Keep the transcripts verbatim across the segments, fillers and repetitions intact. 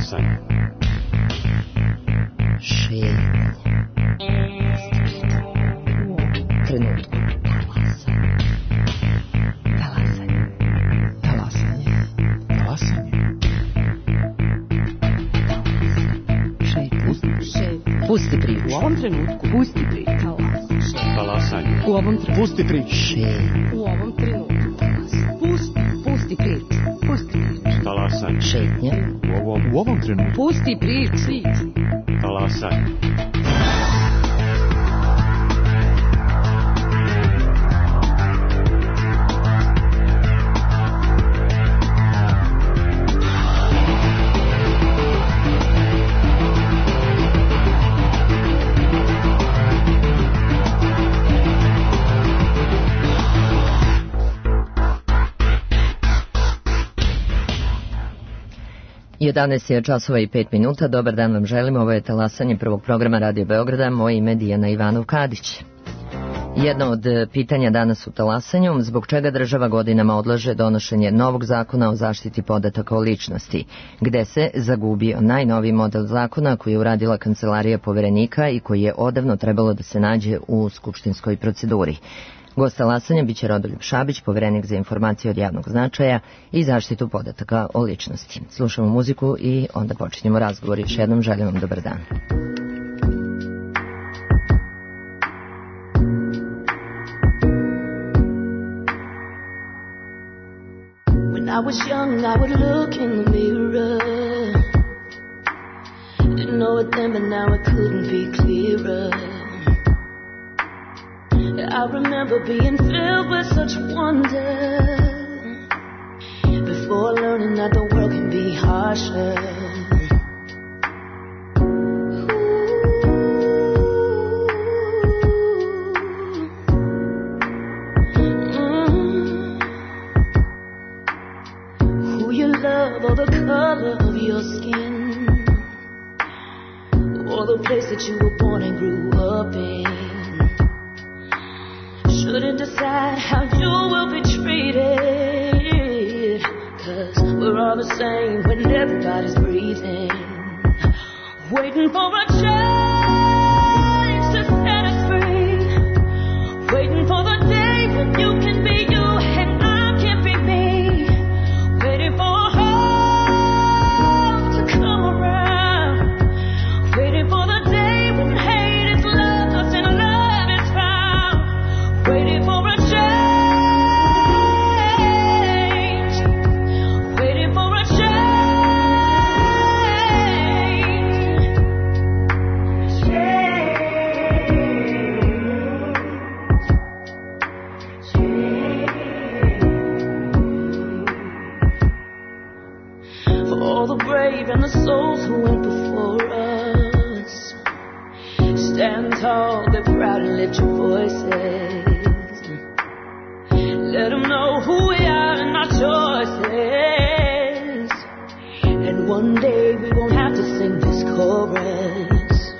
Talasanje. Šetnje. Trenutku. Talasanje. Talasanje. Talasanje. Šetnje. Pusti priču. U ovom trenutku. Pusti priču. Talasanje. U ovom trenutku. Pusti priču. Šetnje. U ovom trenutku. Pusti. Pusti priču. Pusti priču. Talasanje. Šetnje. U ovom, u ovom trenutku. Pusti priču. Talasanje. jedanaest je časova i pet minuta. Dobar dan vam želim. Ovo je talasanje prvog programa Radio Beograda. Moje ime je Dijana Ivanov-Kadić. Jedno od pitanja danas u talasanju, zbog čega država godinama odlaže donošenje novog zakona o zaštiti podataka o ličnosti, gde se zagubio najnoviji model zakona koji je uradila Kancelarija Poverenika i koji je odavno trebalo da se nađe u skupštinskoj proceduri. Gost talasanja biće Rodoljub Šabić, Poverenik za informacije od javnog značaja i zaštitu podataka o ličnosti. Slušamo muziku i onda počinjemo razgovor. Još jednom želim vam dobar dan. When I was young, I would look in the mirror. Didn't know it then, but now it couldn't be clearer. I remember being filled with such wonder before learning that the world can be harsher. Mm. Who you love or the color of your skin or the place that you were born and grew up in shouldn't decide how you will be treated, 'cause we're all the same when everybody's breathing, waiting for a change to set us free, waiting for the day when you can be you and I can be me, waiting for hope to come around, waiting for the day when hate is lost and love is found, waiting for a change, waiting for a change, change, change. For all the brave and the souls who went before us, stand tall, they're proud and lift your voices. Let them know who we are and our choices. And one day we won't have to sing this chorus,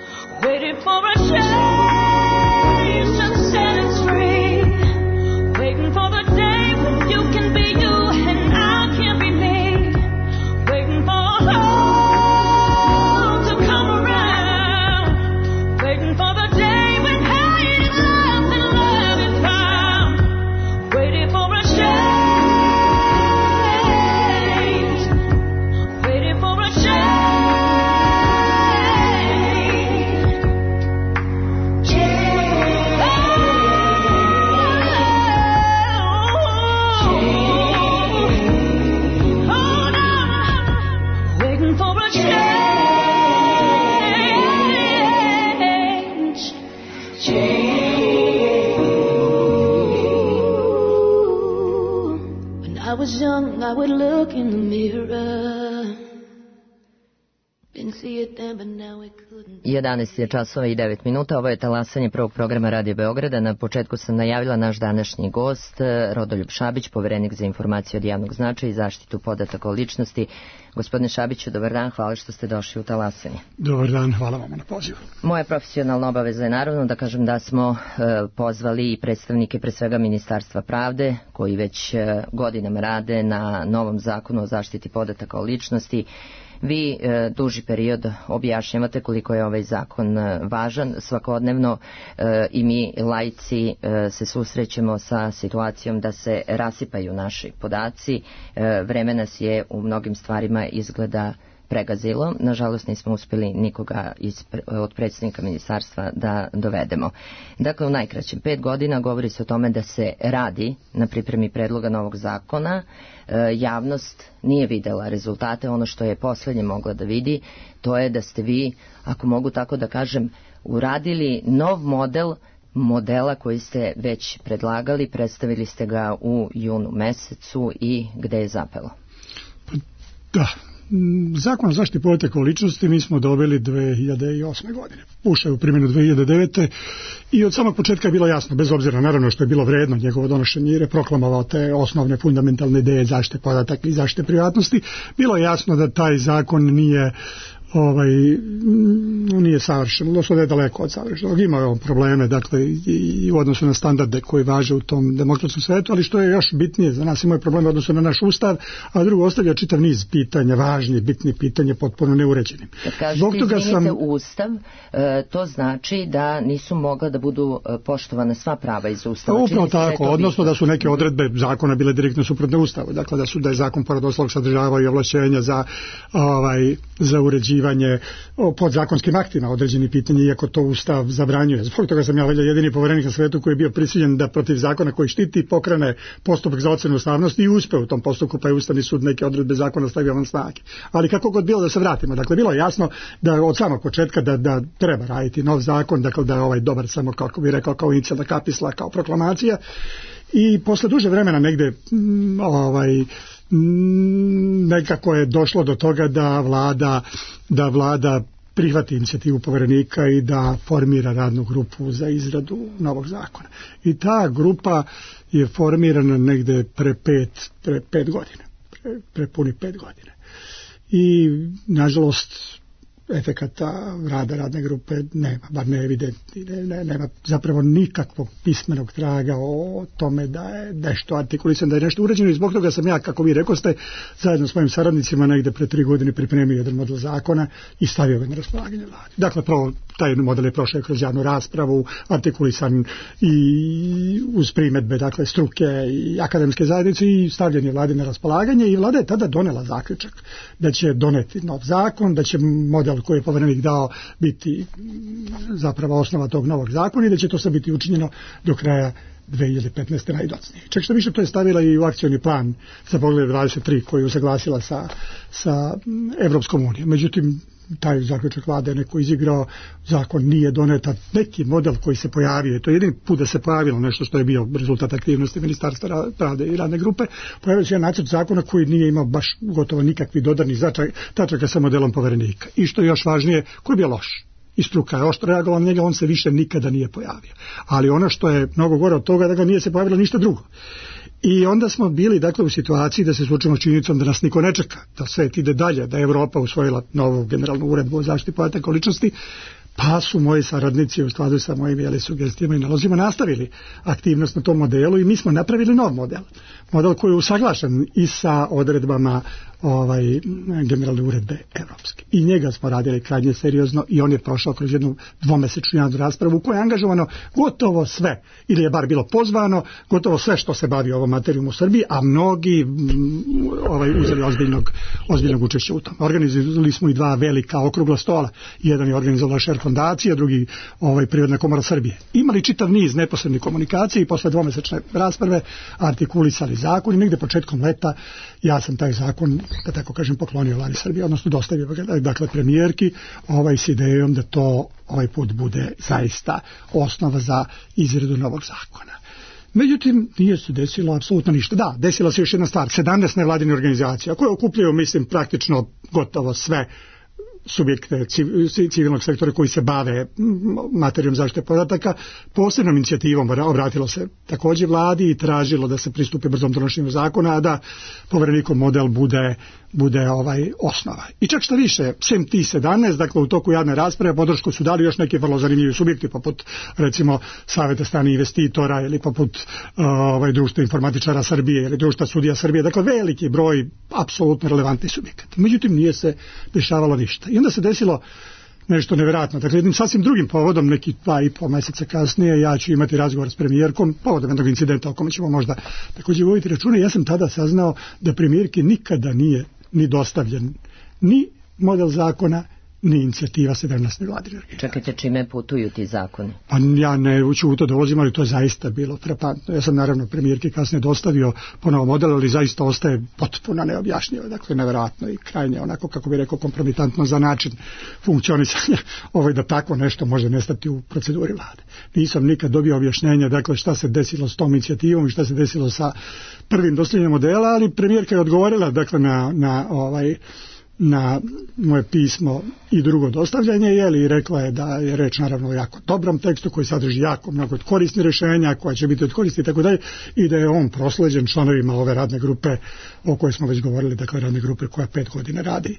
waiting for a change to set us free, waiting for the day when you can be you and I can be me, waiting for hope to come around, waiting for the day when hate is lost and love is found, waiting for a change, waiting for a change, change, hold on, waiting for a change, change. When I was young, I would look in the mirror. Didn't see it then, but now it couldn't. jedanaest je časova i devet minuta. Ovo je talasanje prvog programa Radio Beograda. Na početku sam najavila naš današnji gost, Rodoljub Šabić, Poverenik za informacije od javnog značaja i zaštitu podataka o ličnosti. Gospodine Šabiću, dobar dan, hvala što ste došli u talasanje. Dobar dan, hvala vam na pozivu. Moja profesionalna obaveza je naravno da kažem da smo e, pozvali i predstavnike pre svega Ministarstva pravde, koji već e, godinama rade na novom zakonu o zaštiti podataka o ličnosti. Vi e, duži period objašnjavate koliko je ovaj zakon e, važan. Svakodnevno e, i mi laici e, se susrećemo sa situacijom da se rasipaju naši podaci. E, vreme nas je u mnogim stvarima izgleda pregazilo. Nažalost nismo uspjeli nikoga iz, od predsjednika ministarstva da dovedemo. Dakle, u najkraćem pet godina govori se o tome da se radi na pripremi predloga novog zakona. E, javnost nije videla rezultate. Ono što je posljednje mogla da vidi, to je da ste vi, ako mogu tako da kažem, uradili nov model modela koji ste već predlagali, predstavili ste ga u junu mesecu i gde je zapelo? Da. Zakon o zaštiti podataka o ličnosti mi smo dobili dve hiljade osme godine. Ušao je u primjenu dve hiljade devete. i od samog početka je bilo jasno, bez obzira naravno što je bilo vredno njegovo donošenje jer je proklamovao te osnovne fundamentalne ideje zaštite podataka i zaštite privatnosti, bilo je jasno da taj zakon nije ovaj nije savršen, odnosno da je daleko od savršenog. Ima on probleme, dakle, i u odnosu na standarde koji važe u tom demokratskom svetu, ali što je još bitnije za nas, ima probleme u odnosu na naš ustav, a drugo ostavlja čitav niz pitanja, važni, bitni pitanja, potpuno neuređenim. Kad kažete, izvinite, sam... ustav, to znači da nisu mogla da budu poštovane sva prava iz ustava. Upravo tako, odnosno da su neke odredbe zakona bile direktno suprotne ustavu, dakle da su da je zakon pored ostalog sadržavao i ovlašćenja za ovaj za uređivanje podzakonskim aktima određeni pitanje, iako to ustav zabranjuje. Zbog toga sam ja jedini poverenik na svetu koji je bio prisiljen da protiv zakona koji štiti pokrene postupak za ocenu ustavnosti i uspeo u tom postupku, pa je Ustavni sud neke odredbe zakona stavio van snage. Ali kako god bilo, da se vratimo, dakle bilo je jasno da od samog početka da, da treba raditi nov zakon, dakle da je ovaj dobar samo kako bi rekao kao inicijalna kapisla, kao proklamacija, i posle duže vremena negde ovaj nekako je došlo do toga da vlada da vlada prihvati inicijativu poverenika i da formira radnu grupu za izradu novog zakona. I ta grupa je formirana negde pre pet, pre pet godina, pre, pre puni pet godina. I nažalost efekata rada radne grupe nema, bar ne evidentni, ne, ne, nema zapravo nikakvog pismenog traga o tome da je nešto artikulisano, da je nešto uređeno, i zbog toga sam ja, kako vi rekoste, zajedno s mojim saradnicima negde pre tri godine pripremio jedan model zakona i stavio ga na raspolaganje vladi. Dakle, prvo, taj model je prošao kroz javnu raspravu, artikulisan i uz primedbe, dakle, struke i akademske zajednice, i stavljen je vladi na raspolaganje, i vlada je tada donela zaključak da će doneti nov zakon, da će model koji je poverenik dao biti zapravo osnova tog novog zakona i da će to sve biti učinjeno do kraja dve hiljade petnaeste najdocnije. Čak što više, to je stavila i u akcioni plan za Poglavlje dvadeset tri koji je usaglasila sa, sa Evropskom unijom. Međutim, taj zaključak vlade je neko izigrao, zakon nije doneta, neki model koji se pojavio, to je jedini put da se pojavilo nešto što je bio rezultat aktivnosti Ministarstva pravde i radne grupe, pojavio se jedan nacrt zakona koji nije imao baš gotovo nikakvi dodarnih tačaka sa modelom poverenika. I što je još važnije, koji je bio loš. I struka je oštro reagovala na njega, on se više nikada nije pojavio. Ali ono što je mnogo gore od toga, da ga nije se pojavilo ništa drugo. I onda smo bili, dakle, u situaciji da se suočimo s činjenicom da nas niko ne čeka, da svet ide dalje, da je Evropa usvojila novu generalnu uredbu o zaštiti podataka o ličnosti, pa su moji saradnici u skladu sa mojim jeli, sugestijama i nalozima nastavili aktivnost na tom modelu i mi smo napravili nov model. Model koji je usaglašen i sa odredbama ovaj, generalne uredbe evropske. I njega smo radili krajnje seriozno i on je prošao kroz jednu dvomesečnu javnu raspravu u kojoj je angažovano gotovo sve, ili je bar bilo pozvano, gotovo sve što se bavi ovom materijom u Srbiji, a mnogi ovaj, uzeli ozbiljnog, ozbiljnog učešća u tom. Organizovali smo i dva velika okrugla stola. Jedan je organizovala Šer fondacija, drugi ovaj, Privredna komora Srbije. Imali čitav niz neposrednih komunikacija i posle dvomesečne rasprave artikulisali zakon i negde početkom leta ja sam taj zakon, da tako kažem, poklonio vladi Srbije, odnosno dostavio ga, dakle, premijerki, ovaj, s idejom da to ovaj put bude zaista osnova za izradu novog zakona. Međutim, nije se desilo apsolutno ništa. Da, desila se još jedna stvar, sedamnaest nevladine organizacija koje okupljaju, mislim, praktično gotovo sve subjekte civilnog sektora koji se bave materijom zaštite podataka, posebnom inicijativom obratilo se također vladi i tražilo da se pristupi brzom donošenju zakona, a da Poverenikov model bude bude ovaj osnova. I čak što više, sem ti sedamnaest, dakle u toku javne rasprave podršku su dali još neki vrlo zanimljivi subjekti, poput recimo Saveta stranih investitora ili poput ovaj, Društva informatičara Srbije ili Društva sudija Srbije, dakle veliki broj apsolutno relevantnih subjekata. Međutim, nije se dešavalo ništa. I onda se desilo nešto nevjerojatno. Dakle, jednim sasvim drugim povodom, neki dva i pol mjeseca kasnije, ja ću imati razgovor s premijerkom, povodom jednog incidenta o kome ćemo možda također voditi računa. Ja sam tada saznao da premijerki nikada nije ni dostavljen ni model zakona, ni inicijativa sedamnaeste vladine organizacije. Čekajte, čime putuju ti zakoni? Pa ja ne uću u to dolazim, ali to je zaista bilo frapantno. Ja sam naravno premijerki kasnije dostavio ponovo model, ali zaista ostaje potpuno neobjašnjivo, dakle nevjerojatno i krajnje onako, kako bi rekao, kompromitantno za način funkcionisanja ovaj, da tako nešto može nestati u proceduri vlade. Nisam nikad dobio objašnjenja, dakle šta se desilo s tom inicijativom i šta se desilo sa prvim dostavljanjem modela, ali premijerka je odgovorila dakle na, na ovaj na moje pismo i drugo dostavljanje, je i rekla je da je reč naravno o jako dobrom tekstu koji sadrži jako mnogo korisnih rješenja koja će biti od koristi i tako dalje, i da je on prosleđen članovima ove radne grupe o kojoj smo već govorili, dakle radne grupe koja pet godina radi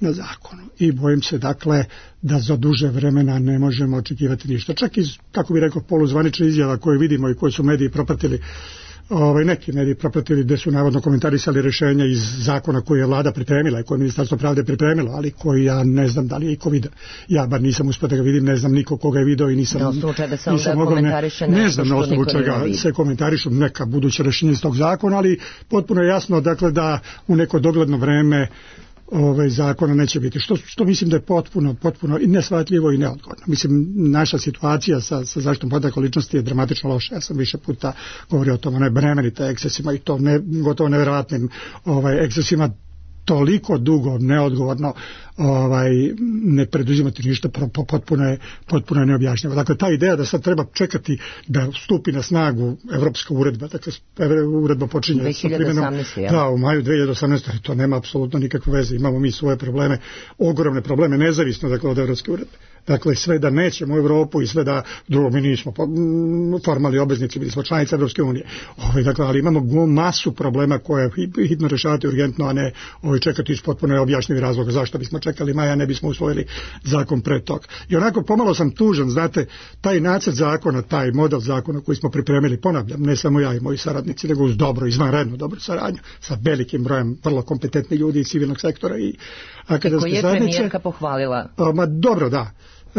na zakonu. I bojim se dakle da za duže vremena ne možemo očekivati ništa. Čak iz, kako bi rekao, poluzvanične izjava koje vidimo i koje su mediji propratili, Ovaj, neki mediji propratili gdje su navodno komentarisali rješenja iz zakona koje je vlada pripremila i koje je Ministarstvo pravde pripremilo, ali koji ja ne znam da li je iko vidio. Ja bar nisam uspio da ga vidim, ne znam niko koga je vidio i nisam, na osnovu čega se nisam mogao, ne, ne znam na osnovu čega se komentarišu neka buduća rješenja iz tog zakona, ali potpuno je jasno dakle da u neko dogledno vreme ovaj zakona neće biti, što, što mislim da je potpuno, potpuno i neshvatljivo i neodgovorno. Mislim, naša situacija sa, sa zaštitom podataka o ličnosti je dramatično loša. Ja sam više puta govorio o tom, onaj bremenite ekscesima i to ne, gotovo nevjerojatnim ovaj, ekscesima, toliko dugo neodgovorno ovaj, ne preduzimati ništa, potpuno je, potpuno je neobjašnjivo. Dakle, ta ideja da sad treba čekati da stupi na snagu evropska uredba, dakle uredba počinje sa primjenom da, u maju dvije hiljade osamnaeste. To nema apsolutno nikakve veze, imamo mi svoje probleme, ogromne probleme, nezavisno dakle od evropske uredbe. Dakle, sve da nećemo u Europu i sve da drugo mi nismo formalni obveznici, bili smo članice Evropske unije. Ovaj, dakle, ali imamo masu problema koje hitno rješavati urgentno, a ne ovaj, čekati iz potpuno objašnjivih razloga zašto bismo čekali maja, ne bismo usvojili zakon pre tog. I onako pomalo sam tužan, znate, taj nacrt zakona, taj model zakona koji smo pripremili, ponavljam, ne samo ja i moji saradnici, nego uz dobro, izvanredno dobro saradnju sa velikim brojem vrlo kompetentnih ljudi iz civilnog sektora i akademske zajednice. Koji je premijerka pohvalila? A, ma dobro, da.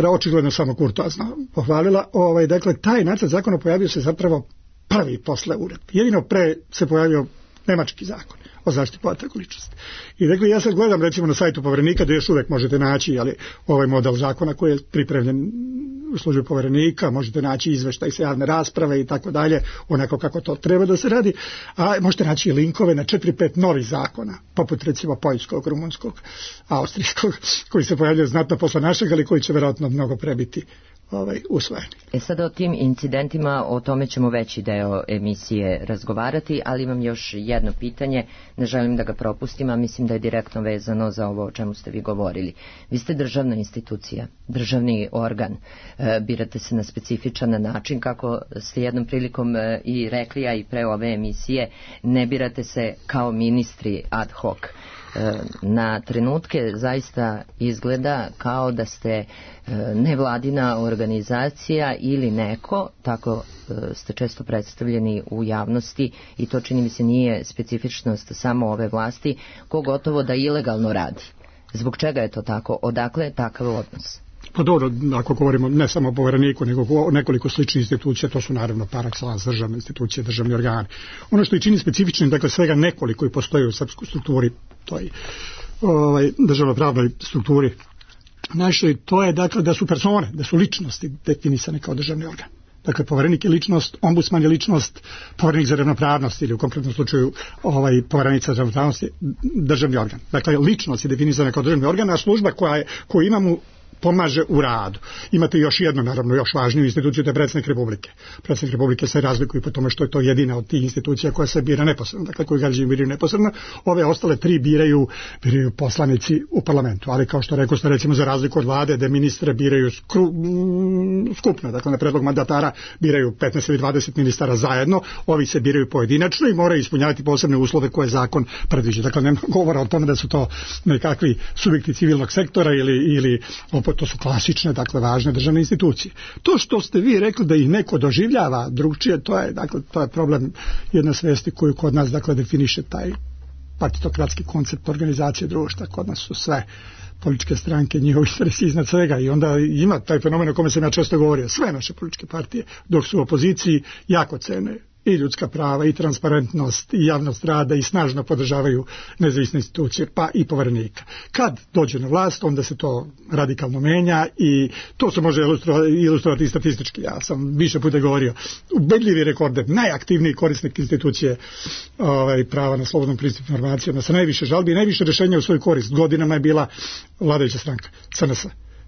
Očigledno samo kurtoazno pohvalila. Ovaj, dakle, taj nacrt zakona pojavio se zapravo prvi posle uredbe. Jedino pre se pojavio nemački zakon o zaštiti podataka o ličnosti. I dakle, ja sad gledam recimo na sajtu Poverenika da još uvijek možete naći ali, ovaj model zakona koji je pripremljen u službi Poverenika, možete naći izveštaj sa javne rasprave i tako dalje, onako kako to treba da se radi, a možete naći linkove na četiri pet novih zakona, poput recimo poljskog, rumunskog, austrijskog, koji se pojavljaju znatno posle našeg, ali koji će vjerojatno mnogo prebiti ovaj, usvojeni. E sada o tim incidentima, o tome ćemo veći deo emisije razgovarati, ali imam još jedno pitanje, ne želim da ga propustim, a mislim da je direktno vezano za ovo o čemu ste vi govorili. Vi ste državna institucija, državni organ, e, birate se na specifičan način, kako ste jednom prilikom e, i rekli, a i pre ove emisije, ne birate se kao ministri ad hoc. Na trenutke zaista izgleda kao da ste nevladina organizacija ili neko, tako ste često predstavljeni u javnosti i to čini mi se nije specifičnost samo ove vlasti, ko gotovo da ilegalno radi. Zbog čega je to tako? Odakle je takav odnos? Pa dobro, ako govorimo ne samo o Povereniku, nego o nekoliko sličnih institucija, to su naravno par excellence državne institucije, državni organi. Ono što i čini specifičnim, dakle svega nekoliko i postoji u srpskoj strukturi, to je ovaj, državno-pravnoj strukturi našoj, to je dakle da su persone, da su ličnosti definisane kao državni organ. Dakle, Poverenik je ličnost, ombudsman je ličnost, Poverenik za ravnopravnost ili u konkretnom slučaju ovaj, Poverenica za ravnopravnost je državni organ. Dakle, ličnost je definisana kao državni organ, a služba koja je, koju imamo pomaže u radu. Imate još jednu, naravno, još važniju instituciju, to je predsjednik Republike. Predsjednik Republike se razlikuje po tome što je to jedina od tih institucija koja se bira neposredno, dakle koji građani biraju neposredno. Ove ostale tri biraju, biraju poslanici u parlamentu, ali kao što rekao ste, recimo za razliku od vlade, da ministre biraju skru, skupno, dakle na predlog mandatara biraju petnaest ili dvadeset ministara zajedno, ovi se biraju pojedinačno i moraju ispunjavati posebne uslove koje zakon predviđa. Dakle, nema govora o tome da su to nekakvi subjekti civilnog sektora ili, ili opet to su klasične, dakle važne državne institucije. To što ste vi rekli da ih neko doživljava drugčije, to je, dakle, to je problem jedne svesti koju kod nas, dakle, definiše taj partitokratski koncept organizacije društva. Kod nas su sve političke stranke, njihovi interesi iznad svega i onda ima taj fenomen o kome sam ja često govorio. Sve naše političke partije, dok su u opoziciji, jako cene i ljudska prava, i transparentnost, i javnost rada, i snažno podržavaju nezavisne institucije, pa i poverenika. Kad dođe na vlast, onda se to radikalno menja i to se može ilustrovati i statistički. Ja sam više puta govorio, ubedljivi rekorde, najaktivniji korisnik institucije ovaj, prava na slobodnom pristupu informacijama, sa najviše žalbi i najviše rješenja u svoj korist. Godinama je bila vladajuća stranka, C N S.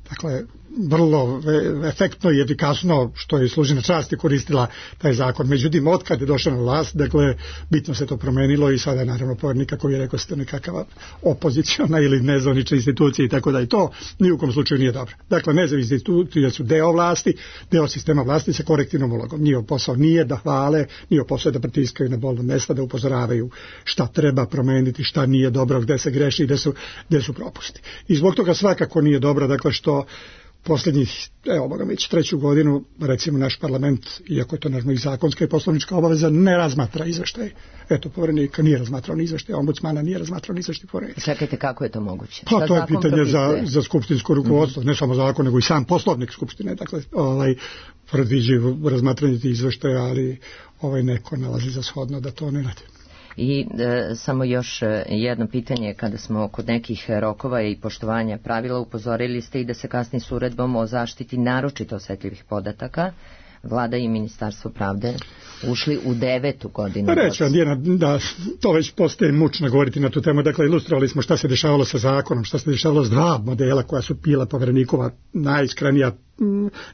Dakle, vrlo efektno i efikasno, što je služi na čast, je koristila taj zakon. Međutim, otkad je došao na vlast, dakle, bitno se to promenilo i sada je naravno povernika koji je rekao ste nekakav opoziciona ili nezvanična institucija i tako da i to ni u kom slučaju nije dobro. Dakle, nezavisne institucije su deo vlasti, deo sistema vlasti sa korektivnom ulogom. Njihov posao nije da hvale, njihov posao je da pritiskaju na bolna mesta, da upozoravaju šta treba promeniti, šta nije dobro, gde se greši i gde su, gde su propusti. I zbog toga svakako nije dobro, dakle, što posljednjih, evo boga već treću godinu, recimo naš parlament, iako je to naravno i zakonska i poslovnička obaveza, ne razmatra izveštaj. Eto, poverenika nije razmatrao ni izveštaj, ombudsmana nije razmatrao ni izveštaj poverenika. Čekajte, kako je to moguće? Pa to je pitanje za, za skupštinsko rukovodstvo, mm-hmm. ne samo zakon, nego i sam poslovnik skupštine, dakle, ovaj, predviđaju razmatranje tih izveštaja, ali ovaj neko nalazi za shodno da to ne radi. I e, samo još jedno pitanje, kada smo kod nekih rokova i poštovanja pravila, upozorili ste i da se kasni s uredbom o zaštiti naročito osetljivih podataka. Vlada i Ministarstvo pravde ušli u devetu godinu. Reći vam, Dijana, da to već postaje mučno govoriti na tu temu. Dakle, ilustrovali smo šta se dešavalo sa zakonom, šta se dešavalo s dva modela koja su bila poverenikova najiskrenija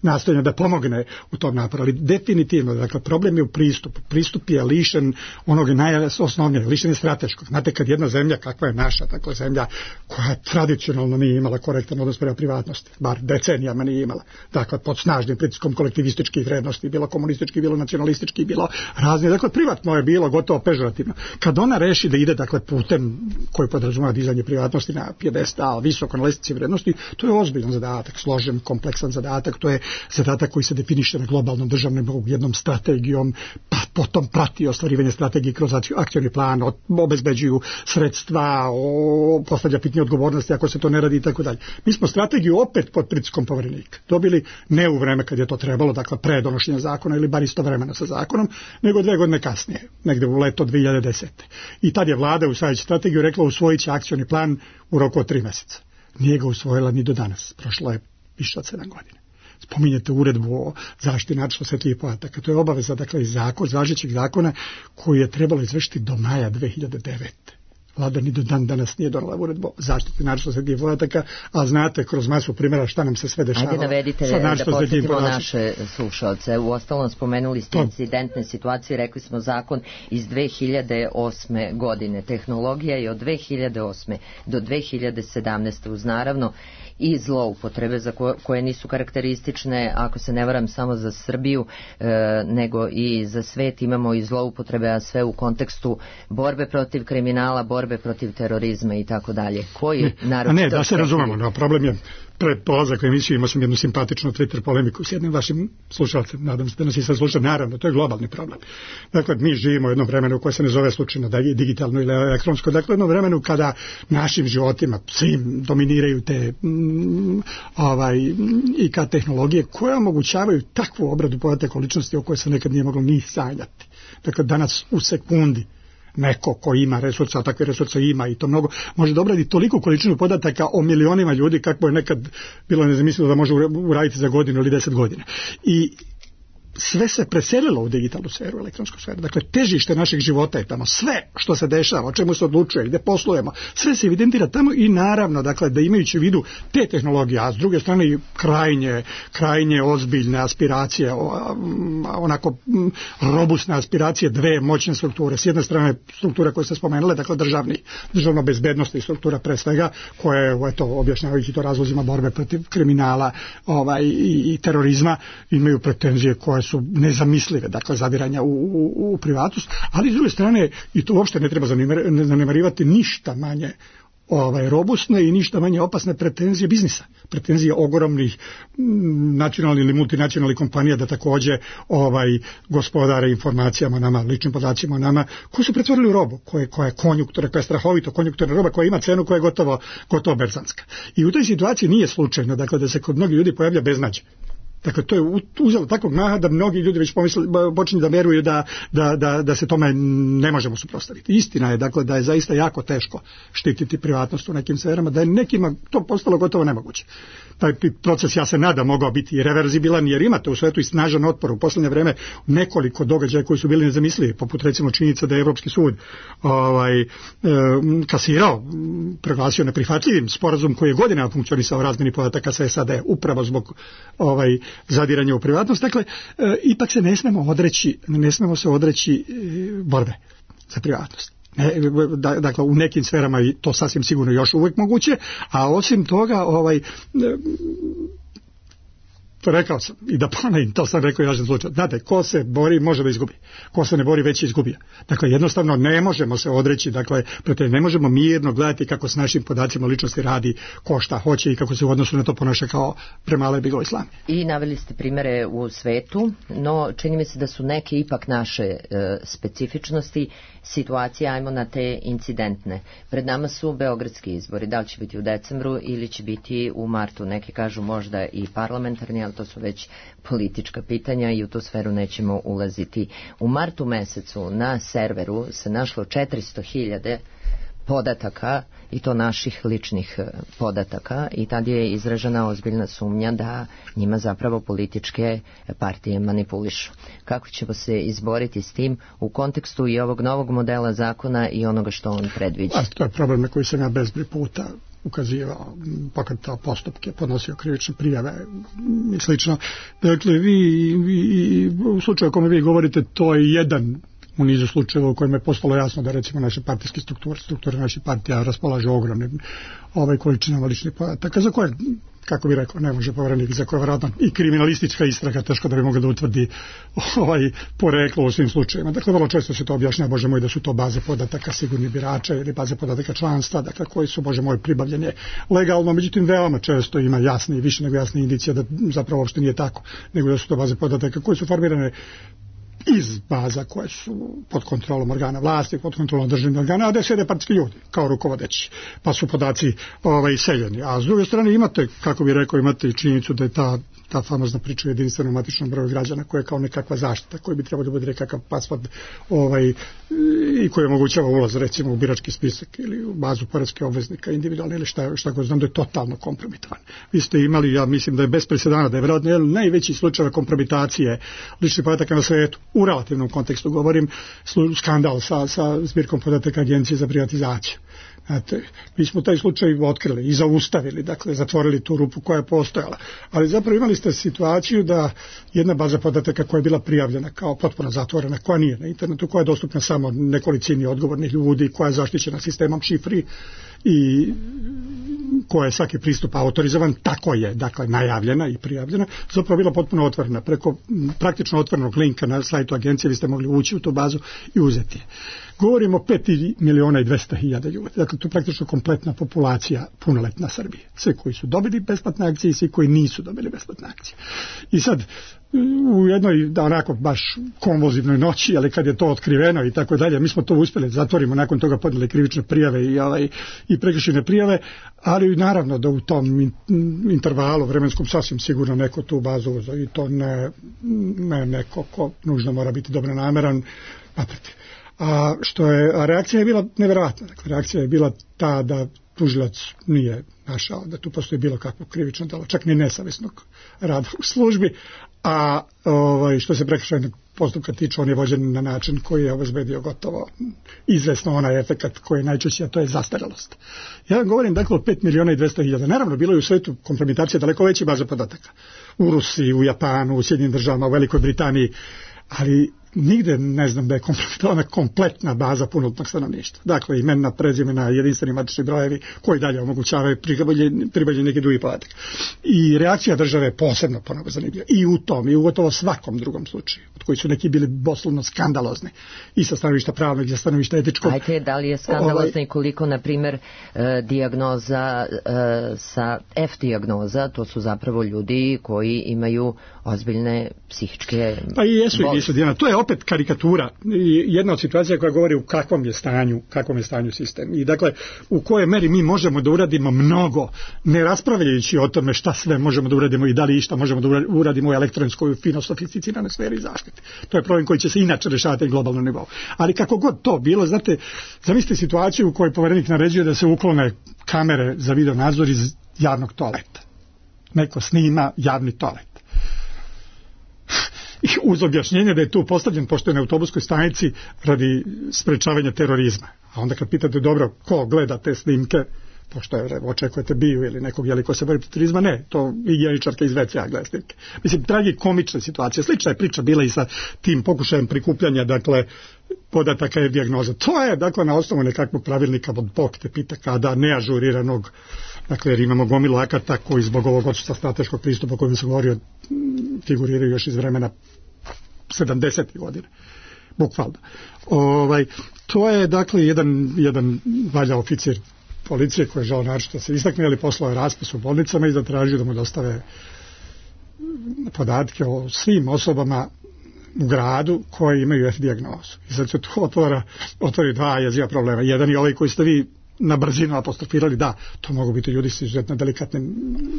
nastojanja da pomogne u tom naporu, ali definitivno, dakle, problem je u pristupu. Pristup je lišen onog najosnovnijeg, lišen je strateškog. Znate, kad jedna zemlja, kakva je naša, dakle, zemlja koja tradicionalno nije imala korektan odnos prema privatnosti, bar decenijama nije imala, dakle, pod snažnim pritiskom kolektivističkih vrednosti, bilo komunistički, bilo nacionalistički, bilo razni, dakle, privatno je bilo gotovo pežorativno. Kad ona reši da ide, dakle, putem koji podrazumeva dizanje privatnosti na pjedestal, visoko na lestvici vrednosti, to je ozbiljan zadatak, složen, kompleksan zadatak. To je zadatak koji se definiše na globalnom državnom nivou jednom strategijom, pa potom prati ostvarivanje strategije kroz akcioni plan, obezbeđuju sredstva, postavlja pitanje odgovornosti ako se to ne radi i tako dalje. Mi smo strategiju opet pod pritiskom poverenika dobili ne u vreme kad je to trebalo, dakle pre donošenja zakona ili bar istovremeno sa zakonom, nego dve godine kasnije, negde u leto dve hiljade desete. I tad je vlada usvajajući strategiju rekla usvojit će akcioni plan u roku od tri meseca. Nije ga usvojila ni do danas. Prošlo je više od sedam godina. Spominjete uredbu o zaštiti naročito osetljivih podataka. To je obaveza, dakle, iz zakona, iz važećeg zakona koji je trebalo izvršiti do maja dve hiljade devete. Vlada ni do dan danas nije donela uredbu o zaštiti naročito osetljivih podataka, a znate kroz masu primjera šta nam se sve dešava. Ajde navedite da podsjetimo naše slušalce. U ostalom spomenuli ste incidentne situacije, rekli smo zakon iz dve hiljade osme godine. Tehnologija je od dve hiljade osme do dve hiljade sedamnaeste uz naravno i zloupotrebe za koje, koje nisu karakteristične, ako se ne varam, samo za Srbiju, e, nego i za svet. Imamo i zloupotrebe, a sve u kontekstu borbe protiv kriminala, borbe protiv terorizma i tako dalje. Koji naročito... Ne, da se razumemo, no, problem je pred polazak u emisiju imao sam jednu simpatičnu Twitter polemiku s jednim vašim slušalcem, nadam se da nas i sad sluša, naravno, to je globalni problem. Dakle, mi živimo u jednom vremenu koje se ne zove slučajno da je digitalno ili elektronsko, dakle, jednom vremenu kada našim životima svim dominiraju te mm, ovaj, I K tehnologije koje omogućavaju takvu obradu podataka o ličnosti o kojoj se nekad nije moglo ni sanjati. Dakle, danas u sekundi neko ko ima resursa, a takve resursa ima i to mnogo, može da obradi toliko količinu podataka o milionima ljudi kako je nekad bilo nezamislivo da može uraditi za godinu ili deset godina. I sve se preselilo u digitalnu sferu, elektronsku sferu. Dakle, težište našeg života je tamo. Sve što se dešava, o čemu se odlučuje, gde poslujemo, sve se evidentira tamo i naravno, dakle, da imajući u vidu te tehnologije, a s druge strane i krajnje, krajnje ozbiljne aspiracije, onako robustne aspiracije dve moćne strukture. S jedne strane struktura koju ste spomenuli, dakle, državni, državno bezbednostna struktura pre svega, koja je, eto, objašnjavajući to razlozima borbe protiv kriminala ovaj, i, i terorizma, imaju pretenzije koje su nezamislive, dakle zadiranja u, u, u privatnost, ali s druge strane i to uopšte ne treba zanemarivati ništa manje ovaj, robustne i ništa manje opasne pretenzije biznisa, pretenzije ogromnih nacionalnih ili multinacionalnih kompanija da takođe ovaj, gospodare informacijama o nama, ličnim podacima o nama, koji su pretvorili u robu, koja, koja je konjunktura, koja je strahovito konjunkturna roba, koja ima cenu koja je gotovo, gotovo berzanska. I u toj situaciji nije slučajno, dakle, da se kod mnogih ljudi pojavlja beznađe. Dakle, to je uzelo takvog maha da mnogi ljudi već pomisli, počinju da veruju da, da, da, da se tome ne možemo suprotstaviti. Istina je, dakle, da je zaista jako teško štititi privatnost u nekim sferama, da je nekima to postalo gotovo nemoguće. Taj proces, ja se nadam, mogao biti i reverzibilan, jer imate u svetu i snažan otpor u posljednje vreme nekoliko događaja koji su bili nezamislivi, poput recimo činjenica da je Evropski sud ovaj, e, kasirao, proglasio neprihvatljivim sporazum koji je godinama funkcionisao o razmjeni podataka sa S A D, upravo zbog ovaj, zadiranja u privatnost. Dakle, e, ipak se ne smemo odreći, ne smemo se odreći e, borbe za privatnost. Ne, dakle, u nekim sferama je to sasvim sigurno još uvijek moguće, a osim toga, ovaj, to rekao sam i da ponovim, to sam rekao i važan slučaj. Znate, ko se bori može da izgubi, ko se ne bori već je izgubio. Dakle, jednostavno ne možemo se odreći, dakle, ne možemo mirno gledati kako s našim podacima ličnosti radi ko šta hoće i kako se u odnosu na to ponaša kao premale biglo islami. I naveli ste primere u svetu, no čini mi se da su neke ipak naše e, specifičnosti situacije, ajmo na te incidentne. Pred nama su beogradski izbori, da li će biti u decembru ili će biti u martu, neki kažu možda i parlamentarni, ali to su već politička pitanja i u tu sferu nećemo ulaziti. U martu mesecu na serveru se našlo četiristo hiljada podataka, i to naših ličnih podataka, i tad je izražena ozbiljna sumnja da njima zapravo političke partije manipulišu. Kako ćemo se izboriti s tim u kontekstu i ovog novog modela zakona i onoga što on predviđa? A, to je problem na koji sam ja bezbroj puta ukazivao, pokretao postupke, podnosio krivične prijave i slično. Dakle, vi, vi u slučaju o kome vi govorite, to je jedan u nizu slučajeva u kojima je postalo jasno da recimo naše partijske strukture, strukture naših partija raspolažu ogromnim ovaj količinama ličnih podataka, za koje, kako bi rekao, ne može Poverenik, za koje vjerojatno i kriminalistička istraga teško da bi mogla da utvrdi ovaj poreklo u svim slučajevima. Dakle, vrlo često se to objašnjava, bože moj, da su to baze podataka sigurnih birača ili baze podataka članstva, dakle, koji su, bože moj, pribavljanje legalno, međutim, veoma često ima jasne i više nego jasne indicije da zapravo uopšte nije tako, nego da su to baze podataka koje su formirane iz baza koje su pod kontrolom organa vlasti, pod kontrolom državnih organa, a da sjede partijski ljudi kao rukovodeći, pa su podaci ovaj, seljeni. A s druge strane imate, kako bih rekao, imate i činjenicu da je ta, ta famozna priča o jedinstvenom matičnom broju građana koja je kao nekakva zaštita, koji bi trebao da bude nekakav pasvord ovaj, i koji omogućava ulaz recimo u birački spisak ili u bazu poreske obveznika individualne ili šta, šta god znam da je totalno kompromitovan. Vi ste imali, ja mislim da je bez presedana, da je vjerojatno jedan najveći slučaj kompromitacije ličnih podataka na svetu, u relativnom kontekstu govorim, skandal sa, sa zbirkom podataka Agencije za privatizaciju. Znate, mi smo taj slučaj otkrili i zaustavili, dakle zatvorili tu rupu koja je postojala. Ali zapravo imali ste situaciju da jedna baza podataka koja je bila prijavljena kao potpuno zatvorena, koja nije na internetu, koja je dostupna samo nekolicini odgovornih ljudi, koja je zaštićena sistemom šifri i koja je svaki pristup autorizovan, tako je, dakle, najavljena i prijavljena, zapravo bila potpuno otvorena. Preko praktično otvorenog linka na sajtu agencije vi ste mogli ući u tu bazu i uzeti je. Govorimo o pet miliona i dvesta hiljada ljudi. Dakle, to je praktično kompletna populacija punoletna Srbije. Svi koji su dobili besplatne akcije i svi koji nisu dobili besplatne akcije. I sad, u jednoj, da onako, baš konvulzivnoj noći, ali kad je to otkriveno i tako dalje, mi smo to uspjeli, zatvorimo, nakon toga podnijeli krivične prijave i, ovaj, i prekršajne prijave, ali naravno da u tom intervalu vremenskom sasvim sigurno neko tu bazu uzeo i to ne, ne neko ko nužno mora biti dobronameran, naprotiv. A što je, a reakcija je bila nevjerojatna. Dakle, reakcija je bila ta da tužilac nije našao da tu postoji bilo kakvo krivično djelo, čak ni nesavjesnog rada u službi, a ovaj, što se prekršajnog postupka tiče, on je vođen na način koji je obezbedio gotovo izvesno onaj efekat koji je najčešći, a to je zastarelost. Ja vam govorim dakle o pet miliona i dvesta hiljada. Naravno, bilo je u svetu kompromitacija daleko veće baze podataka. U Rusiji, u Japanu, u Sjedinjenim državama, u Velikoj Britaniji, ali nigde ne znam da je kompromitovana kompletna baza punoljetnog stanovništva. Dakle, imena, prezimena, jedinstveni matični brojevi koji dalje omogućavaju pribavljanje neki drugi podatak. I reakcija države je posebno ponovo zanimljiva. I u tom, i u gotovo svakom drugom slučaju, od koji su neki bili doslovno skandalozni. I sa stanovišta pravnog, i sa stanovišta etičkog. Ajte, da li je skandalozno i koliko, na primjer, e, dijagnoza e, sa F dijagnoza, to su zapravo ljudi koji imaju ozbiljne psihičke pa i jesu i nisu, Dijana. To je opet karikatura, jedna od situacija koja govori u kakvom je stanju, kakvom je stanju sistem. I dakle, u kojoj meri mi možemo da uradimo mnogo, ne raspravljajući o tome šta sve možemo da uradimo i da li išta možemo da uradimo u elektronskoj fino sofisticiranoj sferi zaštite. To je problem koji će se inače rešavati na globalnom nivou. Ali kako god to bilo, znate, zamislite situaciju u kojoj poverenik naređuje da se uklone kamere za video nadzor iz javnog toaleta. Neko snima javni toalet. Uz objašnjenje da je tu postavljen, pošto je na autobuskoj stanici, radi sprečavanja terorizma. A onda kad pitate, dobro, ko gleda te snimke, pošto je, očekujete biju ili nekog jeli ko se bori protiv terorizma, ne, to higijeničarka iz ve ce a gleda snimke. Mislim, tragikomična situacija. Slična je priča bila i sa tim pokušajem prikupljanja, dakle, podataka i dijagnoza. To je, dakle, na osnovu nekakvog pravilnika od Bog te pita kada, neažuriranog, dakle, jer imamo gomilu akata koji zbog ovog odsustva strateškog pristupa o kojem sam govorio figuriraju još iz vremena sedamdesetih godina, bukvalno. Ovaj, to je, dakle, jedan, jedan valja oficir policije koji je žao naročito se istakne, ali poslao je raspis u bolnicama i zatražio da mu dostave podatke o svim osobama u gradu koje imaju F dijagnozu. I sad se to otvora, otvori dva jeziva problema. Jedan je ovaj koji ste vi na brzinu apostrofirali, da, to mogu biti ljudi s izuzetno delikatnim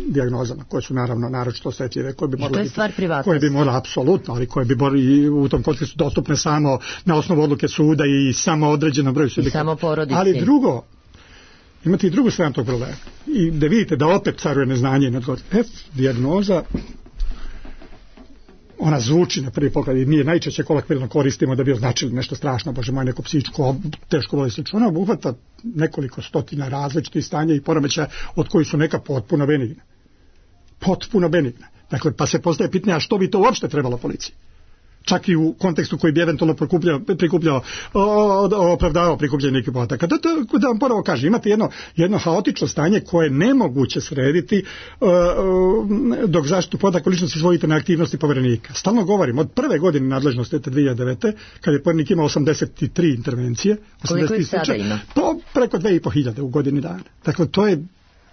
dijagnozama, koje su naravno naročito osetljive, koje bi morali, koje bi morali apsolutno, ali koje bi morali u tom kontekstu dostupne samo na osnovu odluke suda i samo određenom broju subjekata. Samo porodici. Ali drugo, imate i drugu stranu tog problema. I da vidite da opet caruje neznanje i neodgovor. F dijagnoza, ona zvuči na prvi pogled i mi je najčešće kolokvijalno koristimo da bi označili nešto strašno, bože moj, neko psihičko teško bolest. Ona obuhvata nekoliko stotina različitih stanja i poremećaja od kojih su neka potpuno benigna. Potpuno benigna. Dakle, pa se postaje pitanje, a što bi to uopšte trebalo policiji? Čak i u kontekstu koji bi eventualno prikupljao, prikupljao opravdavao prikupljanje nekih podataka. Da, da, da vam ponovo kažem, imate jedno, jedno haotično stanje koje je nemoguće srediti uh, dok zaštitu podataka ličnosti svojite na aktivnosti poverenika. Stalno govorim, od prve godine nadležnosti te dve hiljade devete. kad je poverenik imao osamdeset tri intervencije, koliko ih sada ima? To preko dve i po hiljade u godini dana. Dakle, to je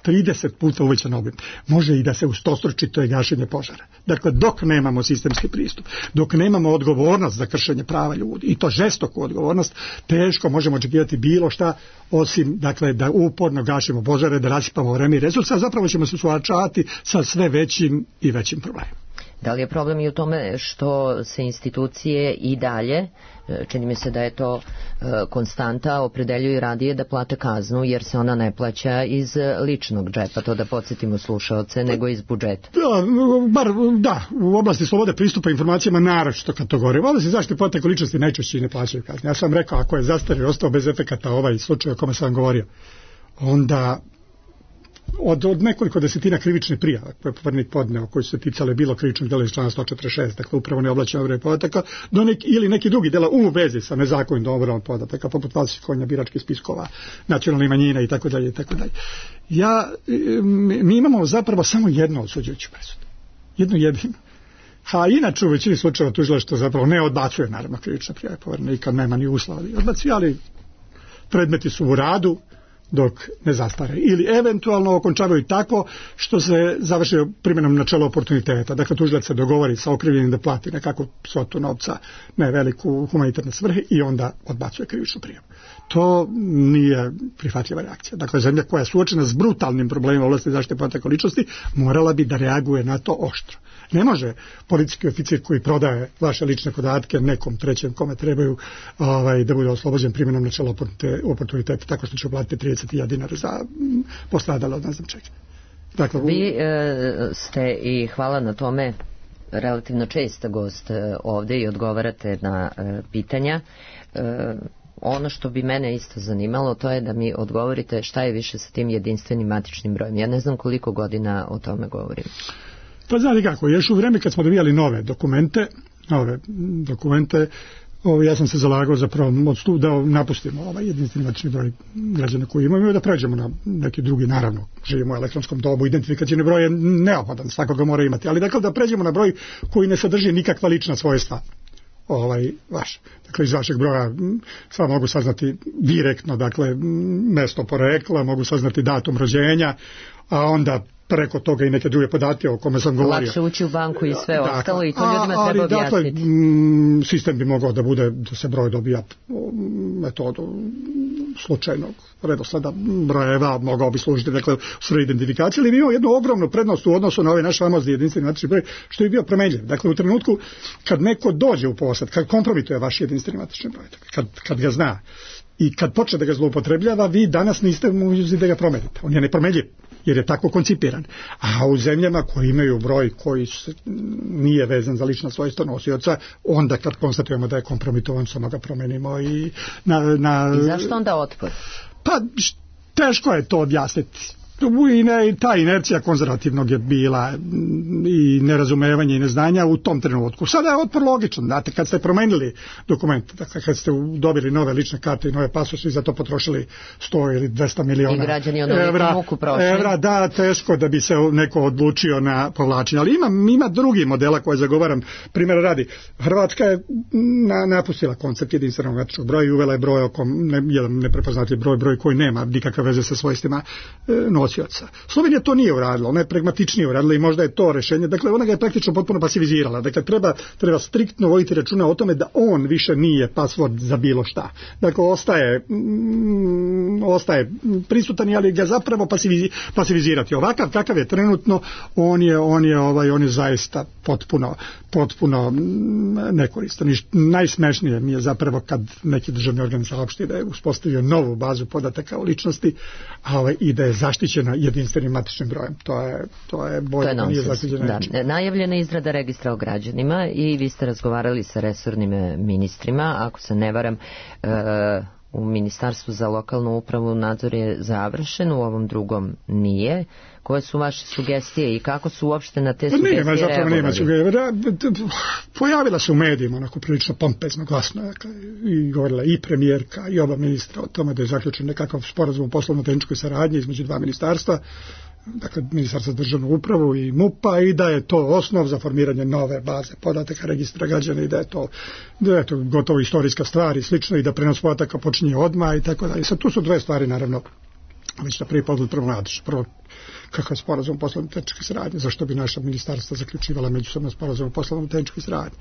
trideset puta uvećan obim. Može i da se ustostruči, to je gašenje požara. Dakle, dok nemamo sistemski pristup, dok nemamo odgovornost za kršenje prava ljudi, i to žestoku odgovornost, teško možemo očekivati bilo šta, osim, dakle, da uporno gašimo požare, da rasipamo vreme i resursa, a zapravo ćemo se suočavati sa sve većim i većim problemima. Da li je problem i u tome što se institucije i dalje, čini mi se da je to konstanta, opredeljuju radije da plate kaznu, jer se ona ne plaća iz ličnog džepa, to da podsjetimo slušaoce, nego iz budžeta? Da, bar, da, u oblasti slobode pristupa informacijama naročito kad to govore. U oblasti zaštite podataka ličnosti najčešće ne plaćaju kazne. Ja sam rekao, ako je zastario ostao bez efekata ovaj slučaj o kome sam govorio, onda Od, od nekoliko desetina krivičnih prijava koje je poverenik podneo, koji su se ticale bilo krivičnog dela iz člana sto četrdeset šest, dakle upravo neoblačena obrada podataka, do nek, ili neki drugi dela u vezi sa nezakonitom obradom podataka, poput falsifikovanja biračkih spiskova, nacionalnih manjina i tako dalje i tako dalje. Ja, mi imamo zapravo samo jednu osuđujuću presudu. Jednu jedinu. A inače u većini slučajeva tužilaštvo zapravo ne odbacuje naravno krivične prijave poverenika, nema ni uslova da odbacuje, ali predmeti su u radu dok ne zastare. Ili eventualno okončavaju tako što se završi primjenom načela oportuniteta. Dakle, tužilac se dogovori sa okrivljenim da plati nekakvu svotu novca, ne veliku humanitarne svrhe, i onda odbacuje krivičnu prijavu. To nije prihvatljiva reakcija. Dakle, zemlja koja je suočena s brutalnim problemima u oblasti zaštite podataka ličnosti morala bi da reaguje na to oštro. Ne može policijski oficir koji prodaje vaše lične podatke nekom trećem kome trebaju ovaj, da bude oslobođen primjenom načela oportuniteta tako što će platiti trideset hiljada dinara za postradalo od ne znam čega. Dakle, vi e, ste, i hvala na tome, relativno česta gost ovde i odgovarate na pitanja. Ono što bi mene isto zanimalo, to je da mi odgovorite šta je više sa tim jedinstvenim matičnim brojem. Ja ne znam koliko godina o tome govorim. Pa znate kako, još u vreme kad smo dobijali nove dokumente, nove dokumente, Ovo, ja sam se zalagao zapravo da napustimo ovaj jedinstveni matični broj građana koji imamo i da pređemo na neki drugi, naravno, živimo u elektronskom dobu, identifikacijni broj je neophodan, svakog ga mora imati, ali dakle da pređemo na broj koji ne sadrži nikakva lična svojstva ovaj vaš. Dakle, iz vašeg broja sad mogu saznati direktno, dakle, mesto porekla, mogu saznati datum rođenja, a onda preko toga i neke druge podatke o kome sam govorio. Lakše ući u banku i sve dakle, ostalo i to ljudima a, treba dakle, objasniti. M, sistem bi mogao da bude, da se broj dobija metodu slučajnog redosleda brojeva, mogao bi služiti, dakle, u svrhu identifikacije, ali bi imao jednu ogromnu prednost u odnosu na ovaj naš famozni jedinstveni matični broj, što je bio promenljiv. Dakle, u trenutku kad neko dođe u posjed, kad kompromituje vaš jedinstveni matični broj, kad, kad ga zna i kad počne da ga zloupotrebljava, vi danas niste mogući da ga promenite. On je nepromenljiv, jer je tako koncipiran. A u zemljama koji imaju broj koji nije vezan za lična svojstva nosioca, onda kad konstatujemo da je kompromitovan, samo ga promenimo i na... na... I zašto onda otpor? Pa teško je to objasniti. I ta inercija konzervativnog je bila i nerazumevanje i neznanja u tom trenutku. Sada je otpor logičan, znate, kad ste promenili dokument, dakle kad ste dobili nove lične karte i nove pasoše i za to potrošili sto ili dvesta miliona I građani evra, muku prošli. evra, da, teško da bi se neko odlučio na povlačenje. Ali ima, ima drugi modela koje zagovaram. Primjer radi, Hrvatska je na, napustila koncept jedinstvenog matičnog broja i uvela je broj oko, ne, jedan neprepoznatljiv broj, broj koji nema nikakve veze sa svojstvima e, nosioca. Slovenija to nije uradila, ona je pragmatičnije uradila i možda je to rešenje. Dakle, ona ga je praktično potpuno pasivizirala. Dakle, treba, treba striktno voditi računa o tome da on više nije password za bilo šta. Dakle, ostaje, mm, ostaje prisutan, ali ga zapravo pasivizi, pasivizirati. Ovakav kakav je trenutno, on je, on je, ovaj, on je zaista potpuno, potpuno nekoristan. I najsmešnije mi je zapravo kad neki državni organ saopšti da je uspostavio novu bazu podataka o ličnosti, ovaj, i da je zaštićen jedinstvenim matičnim brojem. To je to je bolje da nije zaštićeno. Da. Najavljena izrada registra o građanima i vi ste razgovarali sa resornim ministrima, ako se ne varam, e, u Ministarstvu za lokalnu upravu nadzor je završen, u ovom drugom nije. Koje su vaše sugestije i kako su uopšte na te sugestije nema, zapravo nema reagovali? Pojavila se u medijima onako prilično pompezno, glasno, dakle, i govorila i premijerka i oba ministra o tome da je zaključen nekakav sporazum o poslovno-tehničkoj saradnji između dva ministarstva, dakle Ministarstva za državnu upravu i MUP-a, i da je to osnov za formiranje nove baze podataka registra građana i da je to, da je to gotovo istorijska stvar i slično i da prenos podataka počinje odmah i tako dalje. Sad tu su dve stvari, naravno, već na prvi pogled prvo nadiš. Prvo, kakav sporazum o poslovno-tehničkoj saradnji, zašto bi naša ministarstva zaključivala međusobno sporazum o poslovno-tehničkoj saradnji.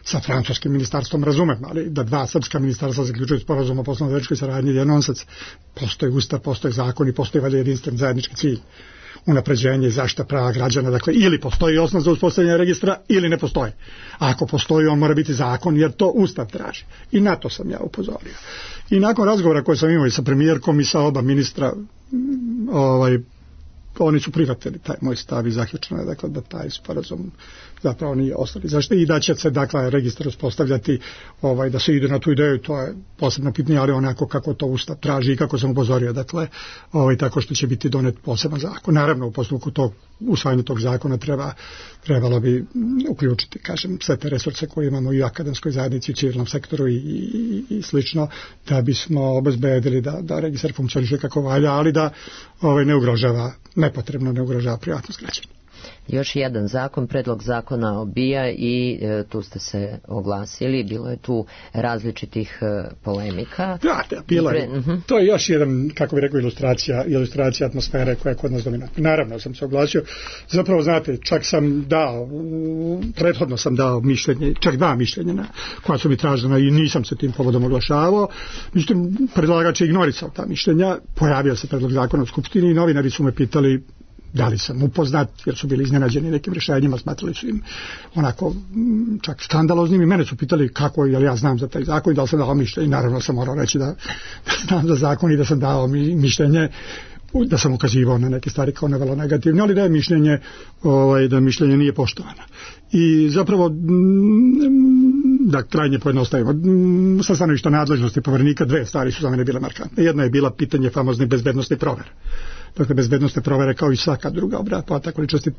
Sa francuskim ministarstvom razumem, ali da dva srpska ministarstva zaključuju sporazum o poslovno-tehničkoj saradnji je nonsens. Postoji ustav, postoji zakon i postoji valjda jedinstven zajednički cilj. Unapređenje i zaštita prava građana, dakle ili postoji osnov za uspostavljanje registra ili ne postoji. A ako postoji, on mora biti zakon jer to ustav traži. I na to sam ja upozorio. I nakon razgovora koje sam imao i sa premijerkom i sa oba ministra, ovaj, oni su prihvatili taj moj stav i zaključeno je, dakle, da taj sporazum zapravo nije ostali zašto i da će se, dakle, registar uspostavljati, ovaj, da se ide na tu ideju, to je posebno pitanje, ali onako kako to ustav traži i kako sam upozorio, dakle, ovaj, tako što će biti donet poseban zakon. Naravno, u postupku tog usvajanja tog zakona treba, trebalo bi uključiti, kažem, sve te resurse koje imamo i u akademskoj zajednici, u civilnom sektoru i, i, i slično, da bismo obezbedili da, da registar funkcioniše kako valja, ali da ovaj, ne ugrožava, nepotrebno ne ugrožava privatnost građana. Još jedan zakon, predlog zakona o B I A i e, tu ste se oglasili, bilo je tu različitih e, polemika. Da, da, bilo je. Pre, uh-huh. To je još jedan, kako bi rekao, ilustracija, ilustracija atmosfere koja je kod nas dominantna. Naravno sam se oglasio, zapravo znate, čak sam dao, prethodno sam dao mišljenje, čak dva mišljenja na, koja su mi tražena i nisam se tim povodom oglašavao. Međutim, predlagač je ignorisao ta mišljenja, pojavio se predlog zakona u Skupštini i novinari su me pitali da li sam upoznat, jer su bili iznenađeni nekim rješenjima, smatrali su im onako čak skandaloznim i mene su pitali kako, jel ja znam za taj zakon i da li sam dao mišljenje i naravno sam morao reći da, da znam za zakon i da sam dao mišljenje da sam ukazivao na neke stvari kao vrlo negativne, ali da je mišljenje, ovaj, da mišljenje nije poštovano. I zapravo, da krajnje pojednostavimo, sa stanovišta nadležnosti Poverenika dve stvari su za mene bile markantne. Jedna je bila pitanje famozne bezbednosne provere. Dakle, bezbednosne provere kao i svaka druga obrada podataka ličnosti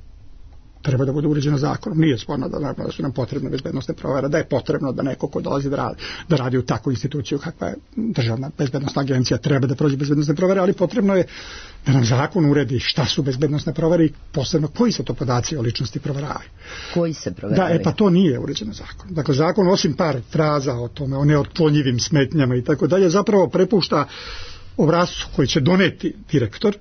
treba da bude uređena zakonom. Nije sporno da, da su nam potrebne bezbednosne provere, da je potrebno da neko ko dolazi da radi, da radi u takvu instituciju kakva je Državna bezbednosna agencija treba da prođe bezbednosne provere, ali potrebno je da nam zakon uredi šta su bezbednosne provere i posebno koji se to podaci o ličnosti proveravaju. Koji se proveravaju? Da, e pa to nije uređeno zakonom. Dakle, zakon osim par fraza o tome, o neotklonjivim smetnjama i tako dalje, zapravo prepušta obrascu koji će doneti direktor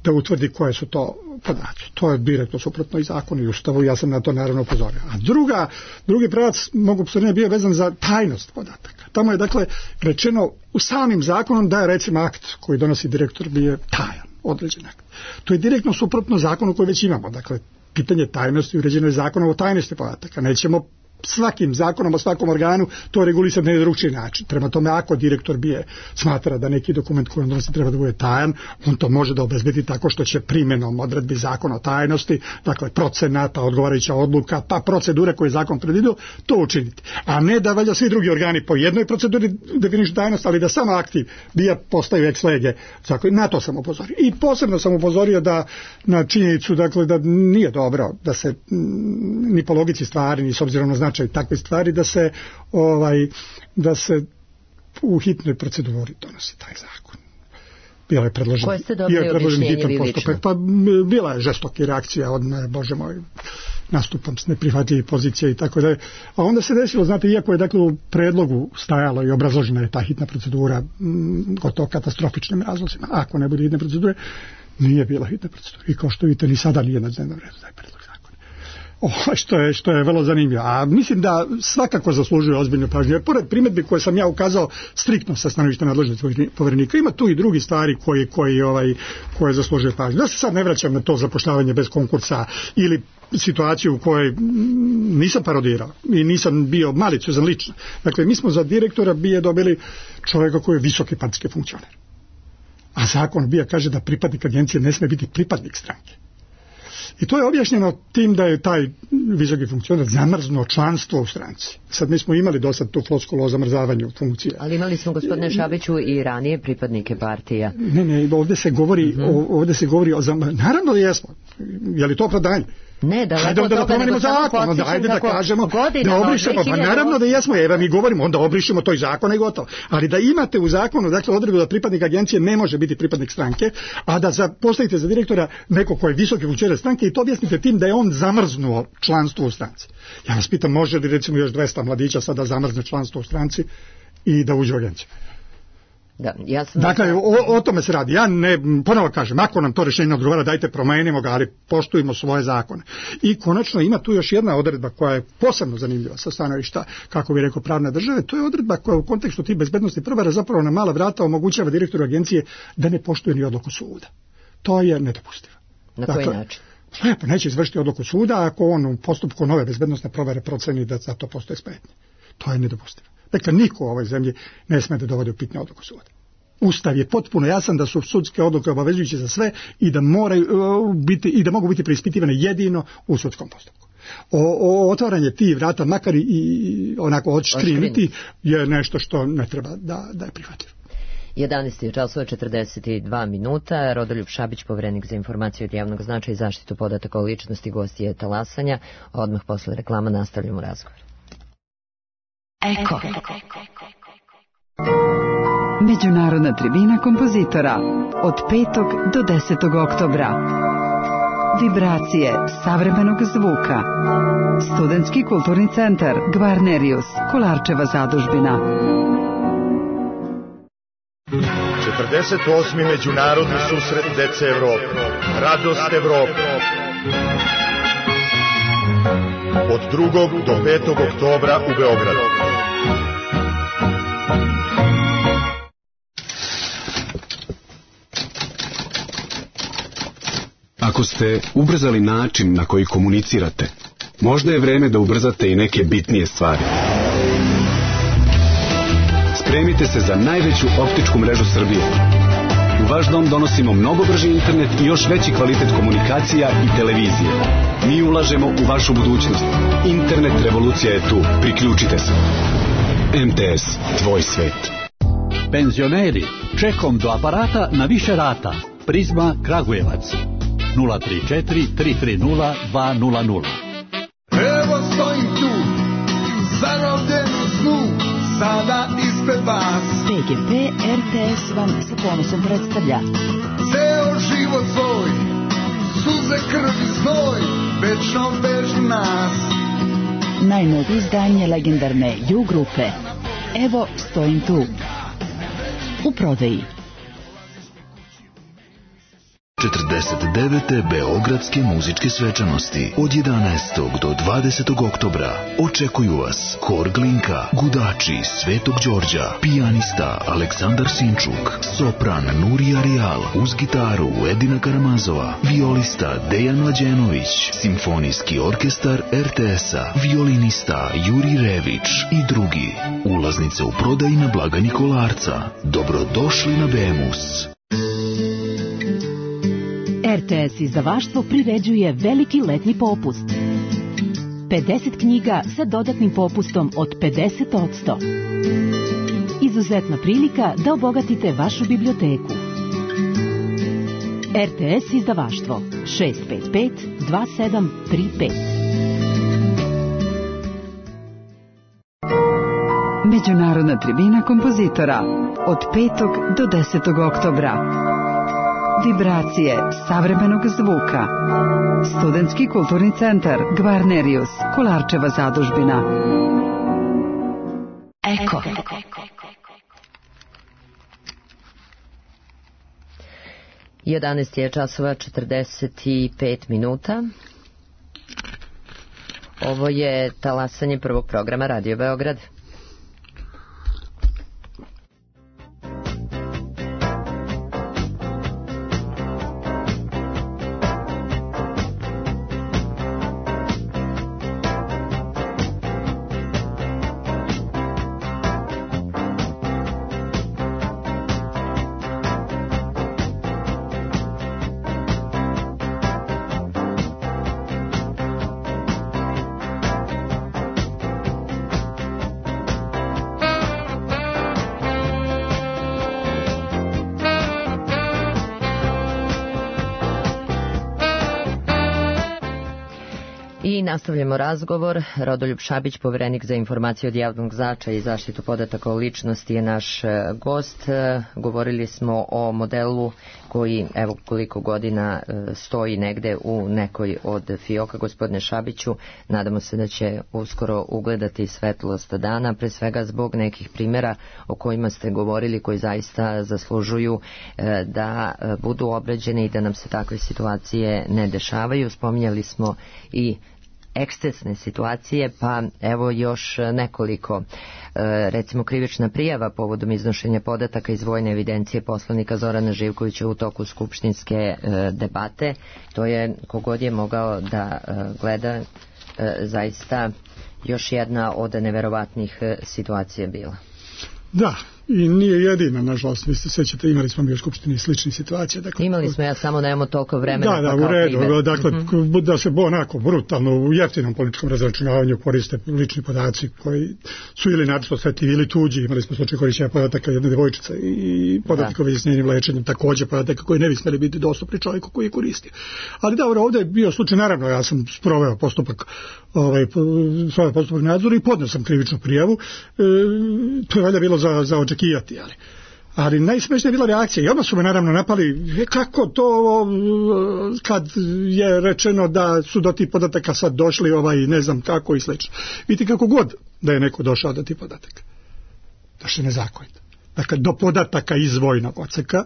da utvrdi koje su to podaci. To je direktno suprotno i zakonu i ustavu, ja sam na to naravno upozorio. A druga, drugi pravac mogu upozoriti bio vezan za tajnost podataka. Tamo je dakle rečeno u samim zakonom da je recimo akt koji donosi direktor bio tajan, određen akt. To je direktno suprotno zakonu koji već imamo. Dakle, pitanje tajnosti uređeno je zakonom o tajnosti podataka. Nećemo svakim zakonom o svakom organu to regulisati na drugčiji način. Prema tome, ako direktor bije smatra da neki dokument koji on donosi treba da bude tajan, on to može da obezbedi tako što će primjenom odredbi zakona o tajnosti, dakle procena, pa odgovarajuća odluka, pa procedure koje je zakon predvidio, to učiniti. A ne da valjda svi drugi organi po jednoj proceduri definišu tajnost, ali da samo akti bija postaju ex lege. Na to sam upozorio. I posebno sam upozorio da na činjenicu, dakle, da nije dobro da se ni po logici stvari, ni s obzirom na značaj takve stvari, da se ovaj da se u hitnoj proceduri donosi taj zakon. Bila je predložen, koje ste dobili objašnjenje vi lično? Pa bila je žestoka reakcija od me, bože moj, nastupam s neprihvatljivih pozicija i tako dalje. A onda se desilo, znate, iako je dakle u predlogu stajalo i obrazložena je ta hitna procedura gotovo katastrofičnim razlozima, ako ne bude hitne procedure, nije bila hitna procedura. I kao što vidite, ni sada nije na dnevnom redu taj predlog. O, što je, što je vrlo zanimljivo. A mislim da svakako zaslužuje ozbiljnu pažnju. Jer pored primjedbi koje sam ja ukazao striktno sa stanovišta nadležnosti Poverenika, ima tu i drugi stvari koji, koji, ovaj, koje zaslužuje pažnju. Da se sad ne vraćam na to zapošljavanje bez konkursa ili situaciju u kojoj nisam parodirao i nisam bio maliciozan lično. Dakle, mi smo za direktora bije dobili čovjeka koji je visoki partijski funkcioner. A zakon bija kaže da pripadnik agencije ne sme biti pripadnik stranke. I to je objašnjeno tim da je taj visoki funkcioner zamrznuo članstvo u stranci. Sad mi smo imali do sad tu floskulu o zamrzavanju funkcije. Ali imali smo, gospodine Šabiću, i ranije pripadnike partija. Ne, ne, ovdje se govori, mm-hmm. ovdje se govori o zamrzavanju. Naravno da jesmo. Je li to opravdanje? Ne, da ajde onda da promenimo zakon, onda ajde da kažemo, da obrišemo, pa naravno da jesmo, evo mi govorimo, onda obrišemo toj zakon i gotovo. Ali da imate u zakonu, dakle, odredbu da pripadnik agencije ne može biti pripadnik stranke, a da za, postavite za direktora neko ko je visoki funkcioner stranke i to objasnite tim da je on zamrznuo članstvo u stranci. Ja vas pitam, može li recimo još dvesta mladića sada zamrzne članstvo u stranci i da uđe u agenciju? Da, ja sam dakle, o, o tome se radi. Ja ne, ponovo kažem, ako nam to rješenje odgovara, dajte promenimo ga, ali poštujemo svoje zakone. I konačno ima tu još jedna odredba koja je posebno zanimljiva sa stanovišta, kako bi rekao, pravne države. To je odredba koja u kontekstu tih bezbednosti provjera zapravo na mala vrata omogućava direktoru agencije da ne poštuje ni odluku suda. To je nedopustivo. Na dakle, koji način? Lepo, neće izvršiti odluku suda ako on u postupku nove bezbednosne provjere proceni da za to postoje spretnje. To je nedopustivo. Dakle, niko u ovoj zemlji ne sme da dovodi u pitanje odluku suda. Ustav je potpuno jasan da su sudske odluke obavezujuće za sve i da moraju biti i da mogu biti preispitivane jedino u sudskom postupku. O, o otvaranje tih vrata, makar i onako odškriniti, je nešto što ne treba da, da je prihvatljivo. jedanaest časova četrdeset dva minuta. Rodoljub Šabić, Poverenik za informaciju od javnog značaja i zaštitu podataka o ličnosti, gosti je Talasanja. Odmah posle reklama nastavljamo razgovor. Eko. Međunarodna tribina kompozitora od petog do desetog oktobra. Vibracije savremenog zvuka. Studentski kulturni centar Gvarnerius, Kolarčeva zadužbina. četrdeset osmi Međunarodni susret dece Evrope. Radost Evrope. Od drugog do petog oktobra u Beogradu. Ako ste ubrzali način na koji komunicirate, možda je vreme da ubrzate i neke bitnije stvari. Spremite se za najveću optičku mrežu Srbije. U vaš dom donosimo mnogo brži internet i još veći kvalitet komunikacija i televizije. Mi ulažemo u vašu budućnost. Internet revolucija je tu. Priključite se. M T S, tvoj svet. Penzioneri, čekom do aparata na više rata. Prizma Kragujevac. nula tri četiri tri tri nula dva nula nula. Evo stojim tu, zarobljen u snu, sada ispred vas. P G P R T S vam sa ponosom predstavlja ceo život svoj, suze, krv i znoj, večno vežu nas. najnovije izdanje legendarne U grupe. Evo stojim tu. U prodaji. četrdeset devete Beogradske muzičke svečanosti od jedanaestog do dvadesetog oktobra očekuju vas Hor Glinka, Gudači Svetog Đorđa, pijanista Aleksandar Sinčuk, sopran Nurija Rijal, uz gitaru Edina Karamazova, violista Dejan Mlađenović, simfonijski orkestar R T S-a, violinista Juri Rević i drugi. Ulaznice u prodaji na blagajni Kolarca. Dobrodošli na Bemus. R T S izdavaštvo priređuje veliki letnji popust. pedeset knjiga sa dodatnim popustom od pedeset posto. Izuzetna prilika da obogatite vašu biblioteku. R T S izdavaštvo šest pet pet dva sedam tri pet. Međunarodna tribina kompozitora od petog do desetog oktobra. Vibracije savremenog zvuka. Studentski kulturni centar Gvarnerius, Kolarčeva zadužbina. Eko. jedanaest je časova četrdeset pet minuta. Ovo je talasanje prvog programa Radio Beograd. I nastavljamo razgovor. Rodoljub Šabić, poverenik za informacije od javnog značaja i zaštitu podataka o ličnosti, je naš gost. Govorili smo o modelu koji, evo koliko godina, stoji negde u nekoj od fioka. Gospodine Šabiću, nadamo se da će uskoro ugledati svetlost dana, pre svega zbog nekih primjera o kojima ste govorili, koji zaista zaslužuju da budu obrađene i da nam se takve situacije ne dešavaju. Spominjali smo i ekscesne situacije, pa evo još nekoliko. Recimo, krivična prijava povodom iznošenja podataka iz vojne evidencije poslanika Zorana Živkovića u toku skupštinske debate. To je, kogod je mogao da gleda, zaista još jedna od neverovatnih situacija bila. Da, i nije jedina, nažalost, vi se sećate, imali smo mi u Skupštini sličnih situacija. Dakle, imali smo, ja samo nemamo toliko vremena. Da, da, u redu, primjer. Dakle, mm-hmm. da se onako brutalno u jeftinom političkom razračunavanju koriste lični podaci koji su ili načisto osjetljivi ili tuđi. Imali smo slučaj korišćenja podataka jedne devojčice i podataka o izjašnjenju lečenjem, također podataka koji ne bi smeli biti dostupni čovjeku koji je koristio. Ali da, ovdje je bio slučaj, naravno, ja sam sproveo postupak ovaj, svoj postupak nadzora i podneo sam krivičnu prijavu. E, to je valjda bilo za, za očekivati, ali, ali najsmešnija je bila reakcija i odmah su me naravno napali, kako to kad je rečeno da su do tih podataka sad došli ovaj ne znam kako i slično. Vidite, kako god da je neko došao do tih podataka, došli nezakonito. Dakle, do podataka iz vojnog odseka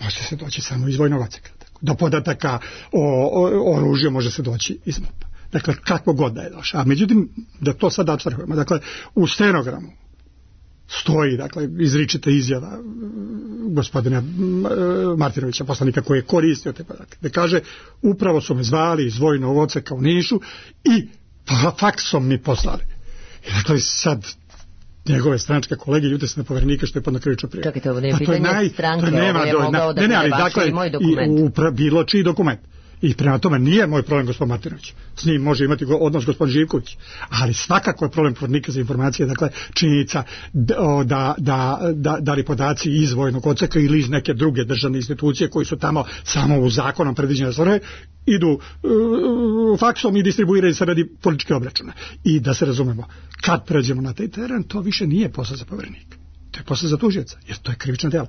može se doći samo iz vojnog odseka. Do podataka o, o oružju može se doći iz MUP-a. Dakle, kako god da je došao. A međutim, da to sad apstrahujemo, dakle, u stenogramu stoji, dakle, izričita izjava gospodina Martinovića, poslanika, koji je koristio te podatke, da kaže, upravo su me zvali iz vojnog odseka u Nišu i faksom mi poslali. I dakle, sad njegove stranačke kolege ljute se na Poverenika što je podno krivičnu prijavu. Čekajte, ovo nije pitanje naj, stranke, to nema, ovo je mogao da ne, ne, bude ali, vaš dakle, ili moj dokument. I, upra, bilo čiji dokument. I prema tome nije moj problem gospodin Martinović. S njim može imati odnos gospodin Živković. Ali svakako je problem Poverenika za informacije, dakle činjenica da, da, da, da, da li podaci iz vojnog odseka ili iz neke druge državne institucije koji su tamo samo u zakonom predviđene svrhe idu uh, faksom i distribuiraju se radi političke obračune. I da se razumemo, kad pređemo na taj teren, to više nije posao za Poverenika. To je posao za tužioca, jer to je krivično delo.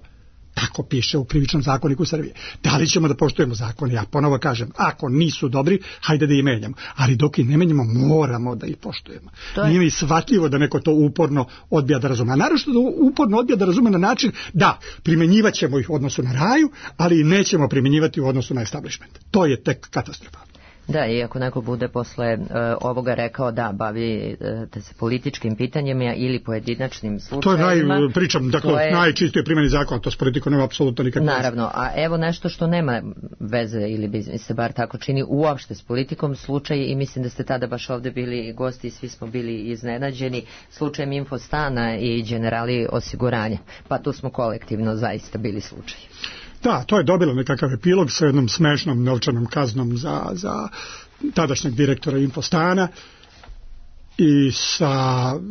Tako piše u krivičnom zakoniku Srbije. Da li ćemo da poštujemo zakon? Ja ponovo kažem, ako nisu dobri, hajde da ih menjamo. Ali dok ih ne menjamo, moramo da ih poštujemo. Je... Nije mi shvatljivo da neko to uporno odbija da razume. A naravno da uporno odbija da razume na način da primjenjivat ćemo ih u odnosu na raju, ali nećemo primjenjivati u odnosu na establishment. To je tek katastrofa. Da, i ako neko bude posle uh, ovoga rekao da bavi uh, se političkim pitanjima ili pojedinačnim slučajima. To je naj, pričam, dakle, je... najčistije primjeni zakona, to s politikom nema apsolutno nikakve. Naravno, a evo nešto što nema veze, ili bi se bar tako čini, uopšte s politikom, slučaj, i mislim da ste tada baš ovde bili gosti i svi smo bili iznenađeni, slučajem Infostana i Generali osiguranja. Pa tu smo kolektivno zaista bili slučaj. Da, to je dobilo nekakav epilog sa jednom smešnom novčanom kaznom za, za tadašnjeg direktora Infostana i sa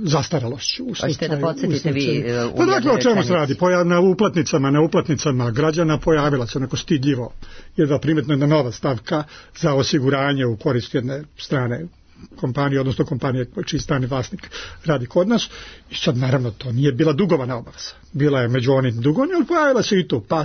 zastaralošću. Hoćete da podsjetite vi? Pa dakle, o čemu se radi? Pojav, na uplatnicama, na uplatnicama građana pojavila se onako stidljivo jedna primetna jedna nova stavka za osiguranje u korist jedne strane kompanije, odnosno kompanije čiji strani vlasnik radi kod nas. I sad naravno to nije bila dugovana obaveza. Bila je među onim dugovanja, ali pojavila se i tu. Pa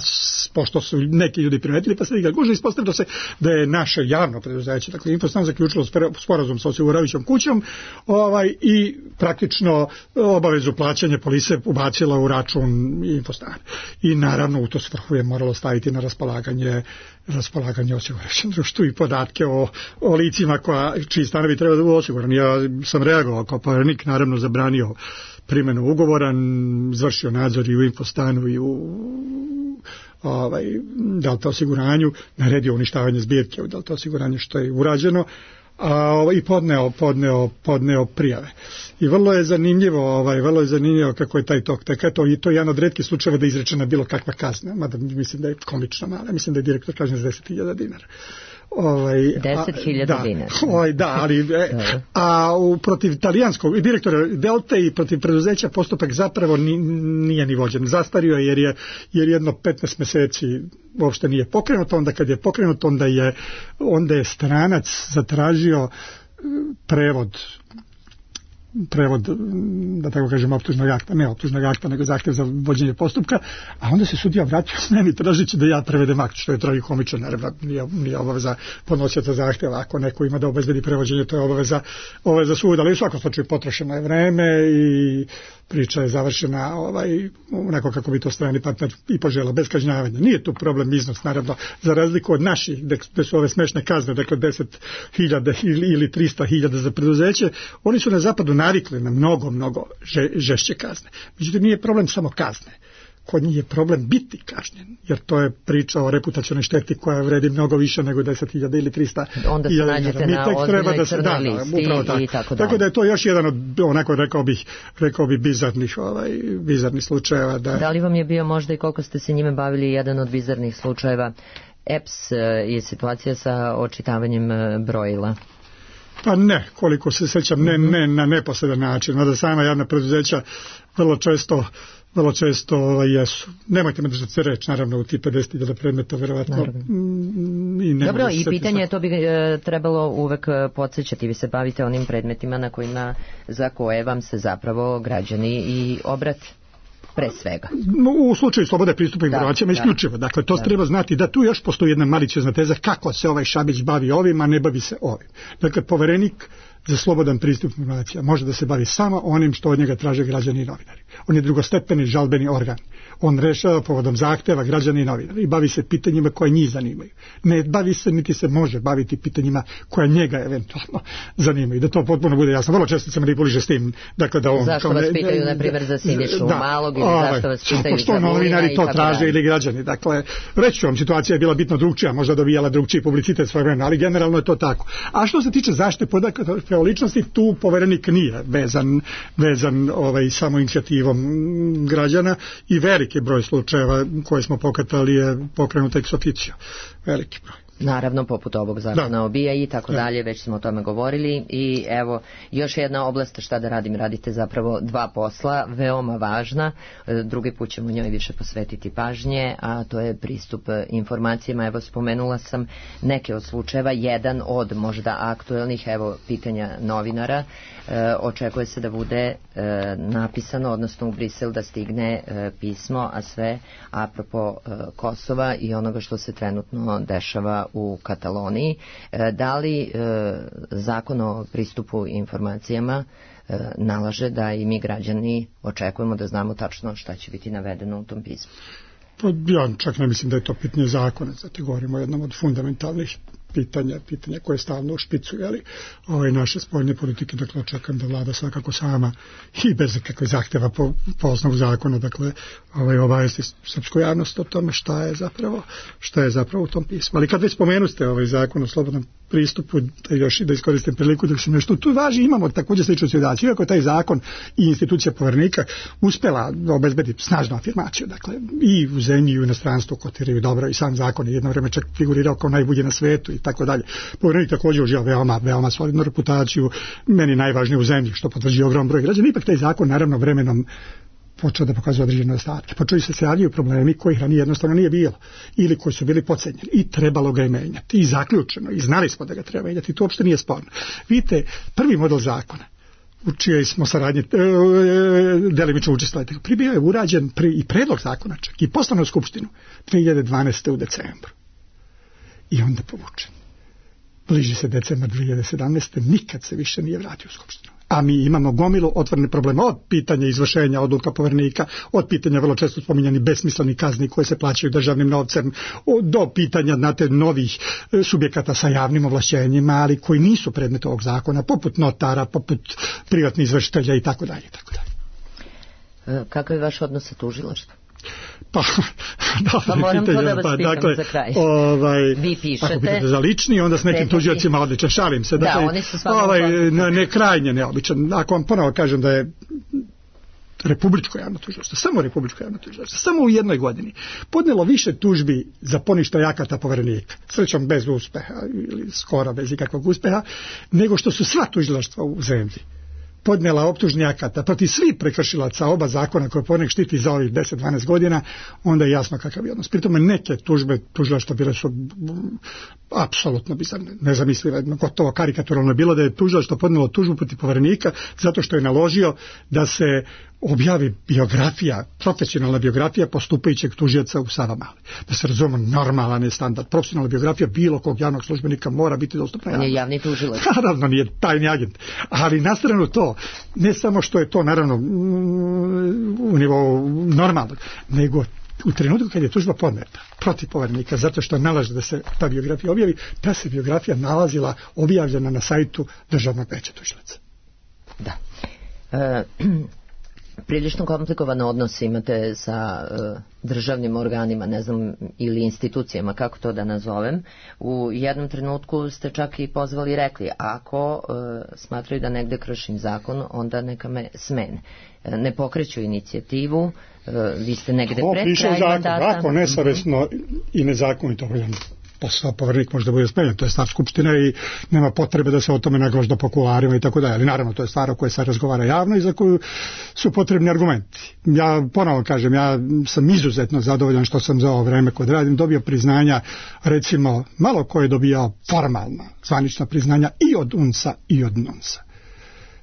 pošto su neki ljudi primetili, pa se ga guže, ispostavilo se da je naše javno preduzeće, dakle Infostan, zaključilo sporazum sa osiguravajućom kućom ovaj, i praktično obavezu plaćanja polise ubacila u račun Infostana. I naravno u to svrhu je moralo staviti na raspolaganje raspolaganje osiguravajućem društvu i podatke o, o licima koja, čiji stanovi treba da budu osigurani. Ja sam reagovao kao Poverenik, naravno zabranio primjenu ugovora, izvršio nadzor i u Infostanu i u ovaj, Delta osiguranju, naredio uništavanje zbirke u Delta osiguranju što je urađeno, a, i podneo, podneo, podneo prijave. I vrlo je zanimljivo, ovaj, vrlo je zanimljivo kako je taj tok teka, to i to je jedan od retkih slučajeva da je izrečena bilo kakva kazna, mada mislim da je komično mala, mislim da je direktor kažnjen za deset hiljada dinara. Ovaj, deset hiljada dinara. Ovaj, da, ali e, a u, protiv italijanskog direktora Delte i protiv preduzeća postupak zapravo ni, nije ni vođen. Zastario je jer je jer jedno petnaest meseci uopšte nije pokrenuto, onda kad je pokrenuto onda je onda je stranac zatražio prevod prevod, da tako kažem, optužnog akta, ne optužnog akta, nego zahtjev za vođenje postupka, a onda se sudija vratio meni tražići da ja prevedem akt, što je tragikomično, naravno, nije, nije obaveza podnosioca zahtjeva, ako neko ima da obezbedi prevođenje, to je obaveza, obaveza suda, ali u svakom slučaju potrošeno je vreme i priča je završena ovaj, onako kako bi to strani partner i požela, bez kažnjavanja. Nije tu problem iznos, naravno, za razliku od naših, gde su ove smešne kazne, dakle deset hiljada ili, ili trista hiljada za preduzeće, oni su na zapadu navikli na mnogo, mnogo že, žešće kazne. Međutim, nije problem samo kazne. Kod njih je problem biti kažnjen, jer to je priča o reputacionoj šteti koja vredi mnogo više nego deset hiljada ili trista. Onda se nađete na ozbiljnoj crnoj listi i tako dalje. Tako da je to još jedan od, onako rekao bih, rekao bih bizarnih, ovaj, bizarnih slučajeva. Da... da li vam je bio možda i koliko ste se njime bavili jedan od bizarnih slučajeva E P S je situacija sa očitavanjem brojila? Pa ne, koliko se sećam, ne, ne na neposredan način, mada sama javna preduzeća vrlo često vrlo često ovaj, jesu. Nemojte me držati se reći, naravno, u ti pedeset hiljada predmeta, verovatno. I dobro, i pitanje, to bi e, trebalo uvek podsjećati, vi se bavite onim predmetima na kojima, za koje vam se zapravo građani i obrate. Pre svega. U slučaju slobode pristupa informacijama isključivo. Dakle, to da. Treba znati da tu još postoji jedna maliciozna teza kako se ovaj Šabić bavi ovim, a ne bavi se ovim. Dakle, Poverenik za slobodan pristup informacija može da se bavi samo onim što od njega traže građani i novinari. On je drugostepeni žalbeni organ. On rešava povodom zahteva građana i novinara i bavi se pitanjima koje njih zanimaju. Ne bavi se, niti se može baviti pitanjima koja njega eventualno zanimaju. Da to potpuno bude jasno. Vrlo često se manipuliše s tim. Dakle, da on, zašto vas pitaju, na primjer, za Sinišu da, Malog ili zašto vas pitaju što novinari to traže ili građani. Dakle, reći ću vam, situacija je bila bitno drugčija, možda dobijala drugčiji publicitet svoje vremena, ali generalno je to tako. A što se tiče zaštite podataka o ličnosti, tu poverenik nije vezan, vezan ovaj, samo inicijativom građana i veliki broj slučajeva koje smo pokretali je pokrenut ex officio. Veliki broj. Naravno, poput ovog zakona o B I A i tako dalje, već smo o tome govorili. I evo, još jedna oblast, šta da radim, radite zapravo dva posla, veoma važna, drugi put ćemo njoj više posvetiti pažnje, a to je pristup informacijama. Evo, spomenula sam neke od slučajeva, jedan od možda aktuelnih, evo, pitanja novinara, e, očekuje se da bude e, napisano, odnosno u Brisel da stigne e, pismo, a sve apropo e, Kosova i onoga što se trenutno dešava u Kataloniji. Da li zakon o pristupu informacijama nalaže da i mi građani očekujemo da znamo tačno šta će biti navedeno u tom pismu? Pa ja čak ne mislim da je to pitanje zakona, zato govorimo o jednom od fundamentalnih pitanja, pitanja koje stalno u špicu, jeli, ove naše spoljne politike, dakle očekam da vlada svakako sama i bez kakve zahteva po, po osnovu zakona, dakle ovaj, obavesti srpsku javnost o tome šta je zapravo, šta je zapravo u tom pismu. Ali kad već spomenuste ovaj zakon o slobodnom pristupu, da još i da iskoristim priliku dok sam nešto tu važi, imamo također sličnu situaciju, iako taj zakon i institucija poverenika uspela obezbediti snažnu afirmaciju, dakle i u zemlji i u inostranstvu kotiraju dobro i sam zakon je jedno vreme čak figurirao kao najbolji na svetu i tako dalje. Poverenik također uživa veoma, veoma solidnu reputaciju, meni najvažnije u zemlji, što potvrđuje ogrom broj građana. Ipak taj zakon naravno vremenom počeo da pokazuje određene nedostatke. Počeli se se javljaju problemi kojih ranije jednostavno nije bilo ili koji su bili podcenjeni i trebalo ga je menjati. I zaključeno, i znali smo da ga treba menjati, to uopšte nije sporno. Vidite, prvi model zakona u čijoj smo saradnje e, delimično učestvovali, pribio je urađen pri, i predlog zakona čak i poslan u Skupštinu dve hiljade dvanaeste. u decembru. I onda povučen. Bliži se decembar dve hiljade sedamnaeste. nikad se više nije vratio u Skupštinu. A mi imamo gomilu otvorene probleme od pitanja izvršenja odluka poverenika, od pitanja vrlo često spominjani besmislenih kazni koje se plaćaju državnim novcem, do pitanja znate, novih subjekata sa javnim ovlašćenjima, ali koji nisu predmet ovog zakona, poput notara, poput privatnih izvršitelja i tako dalje, tako dalje. Kakav je vaš odnos sa tužilaštvom? Pa, da, pa moram pitanje, to da vas pa, pitam dakle, za kraj. Ovaj, vi pišete. Ako pitate za lični, onda s nekim tužiocima odličan, šalim se. Dakle, da, oni su stvarno ovaj, ne, ne krajnje neobičan. Ako vam ponovo kažem da je Republičko javno tužilaštvo, samo Republičko javno tužilaštvo, samo u jednoj godini podnelo više tužbi za poništaj akata poverenika, srećom bez uspeha ili skoro bez ikakvog uspeha, nego što su sva tužilaštva u zemlji podnijela optužni akata protiv svih prekršilaca oba zakona koje poverenik štiti za ovih deset do dvanaest godina, onda je jasno kakav je odnos. Pri tome neke tužbe tužilaštva bile su apsolutno bizarne, nezamislive, gotovo karikaturalno je bilo da je tužilaštvo podnijelo tužbu protiv poverenika zato što je naložio da se objavi biografija, profesionalna biografija postupajućeg tužioca u Savamali. Da se razumemo, normalan je standard. Profesionalna biografija bilo kog javnog službenika mora biti dostupna javnosti. Nije javni tužilac. Naravno, nije tajni agent. Ali na stranu to, ne samo što je to naravno u nivou normalnog, nego u trenutku kad je tužba podneta protiv poverenika zato što nalaže da se ta biografija objavi, ta se biografija nalazila objavljena na sajtu Državnog veća tužilaca. Da. E, prilično komplikovan odnos imate sa e, državnim organima, ne znam, ili institucijama, kako to da nazovem. U jednom trenutku ste čak i pozvali i rekli, ako e, smatraju da negde kršim zakon, onda neka me smene. E, ne pokreću inicijativu, e, vi ste negde o, pred kraj mandata. Ako nesavesno i nezakonito obavljeno posao, poverenik može da bude smenjen, to je stvar Skupštine i nema potrebe da se o tome naglažda po kuloarima i tako dalje, ali naravno to je stvar o kojoj se razgovara javno i za koju su potrebni argumenti. Ja ponovo kažem, ja sam izuzetno zadovoljan što sam za ovo vreme kod radim dobio priznanja, recimo malo ko je dobijao formalna zvanična priznanja i od U N S A i od N U N S A.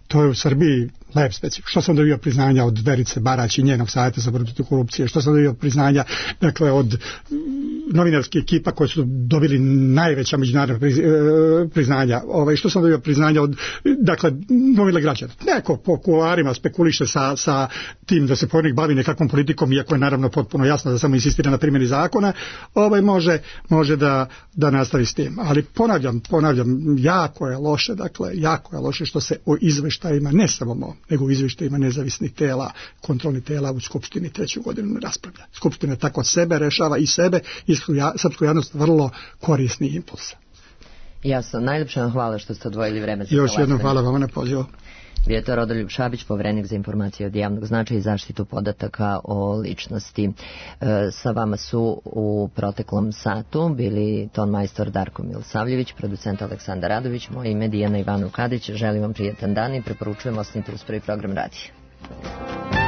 To je u Srbiji lep specifik. Što sam dobio priznanja od Verice Barać i njenog savjeta za borbu protiv korupcije, što sam dobio priznanja dakle od novinarske ekipa koji su dobili najveća međunarodna priznanja, ovaj, što sam dobio priznanja od dakle novina građana. Neko po kuloarima spekuliše sa, sa tim da se poverenik bavi nekakvom politikom, iako je naravno potpuno jasno da samo insistira na primjeni zakona, ovaj može, može da, da nastavi s tim. Ali ponavljam, ponavljam, jako je loše, dakle, jako je loše što se o izveštajima, ne samo mom, nego u izvještajima nezavisnih tela, kontrolnih tela u Skupštini treću godinu ne raspravlja. Skupština tako sebe rešava i sebe i srpsku javnost vrlo korisni impuls. Jasno, najljepša vam hvala što ste odvojili vreme za još jednom hvala vama na pozivu. Bio je to Rodoljub Šabić, poverenik za informacije od javnog značaja i zaštitu podataka o ličnosti. E, sa vama su u proteklom satu bili tonmajstor Darko Milosavljević, producent Aleksandar Radović, moje ime Dijana Ivanov Kadić. Želim vam prijetan dan i preporučujem ostanite uz prvi program radija.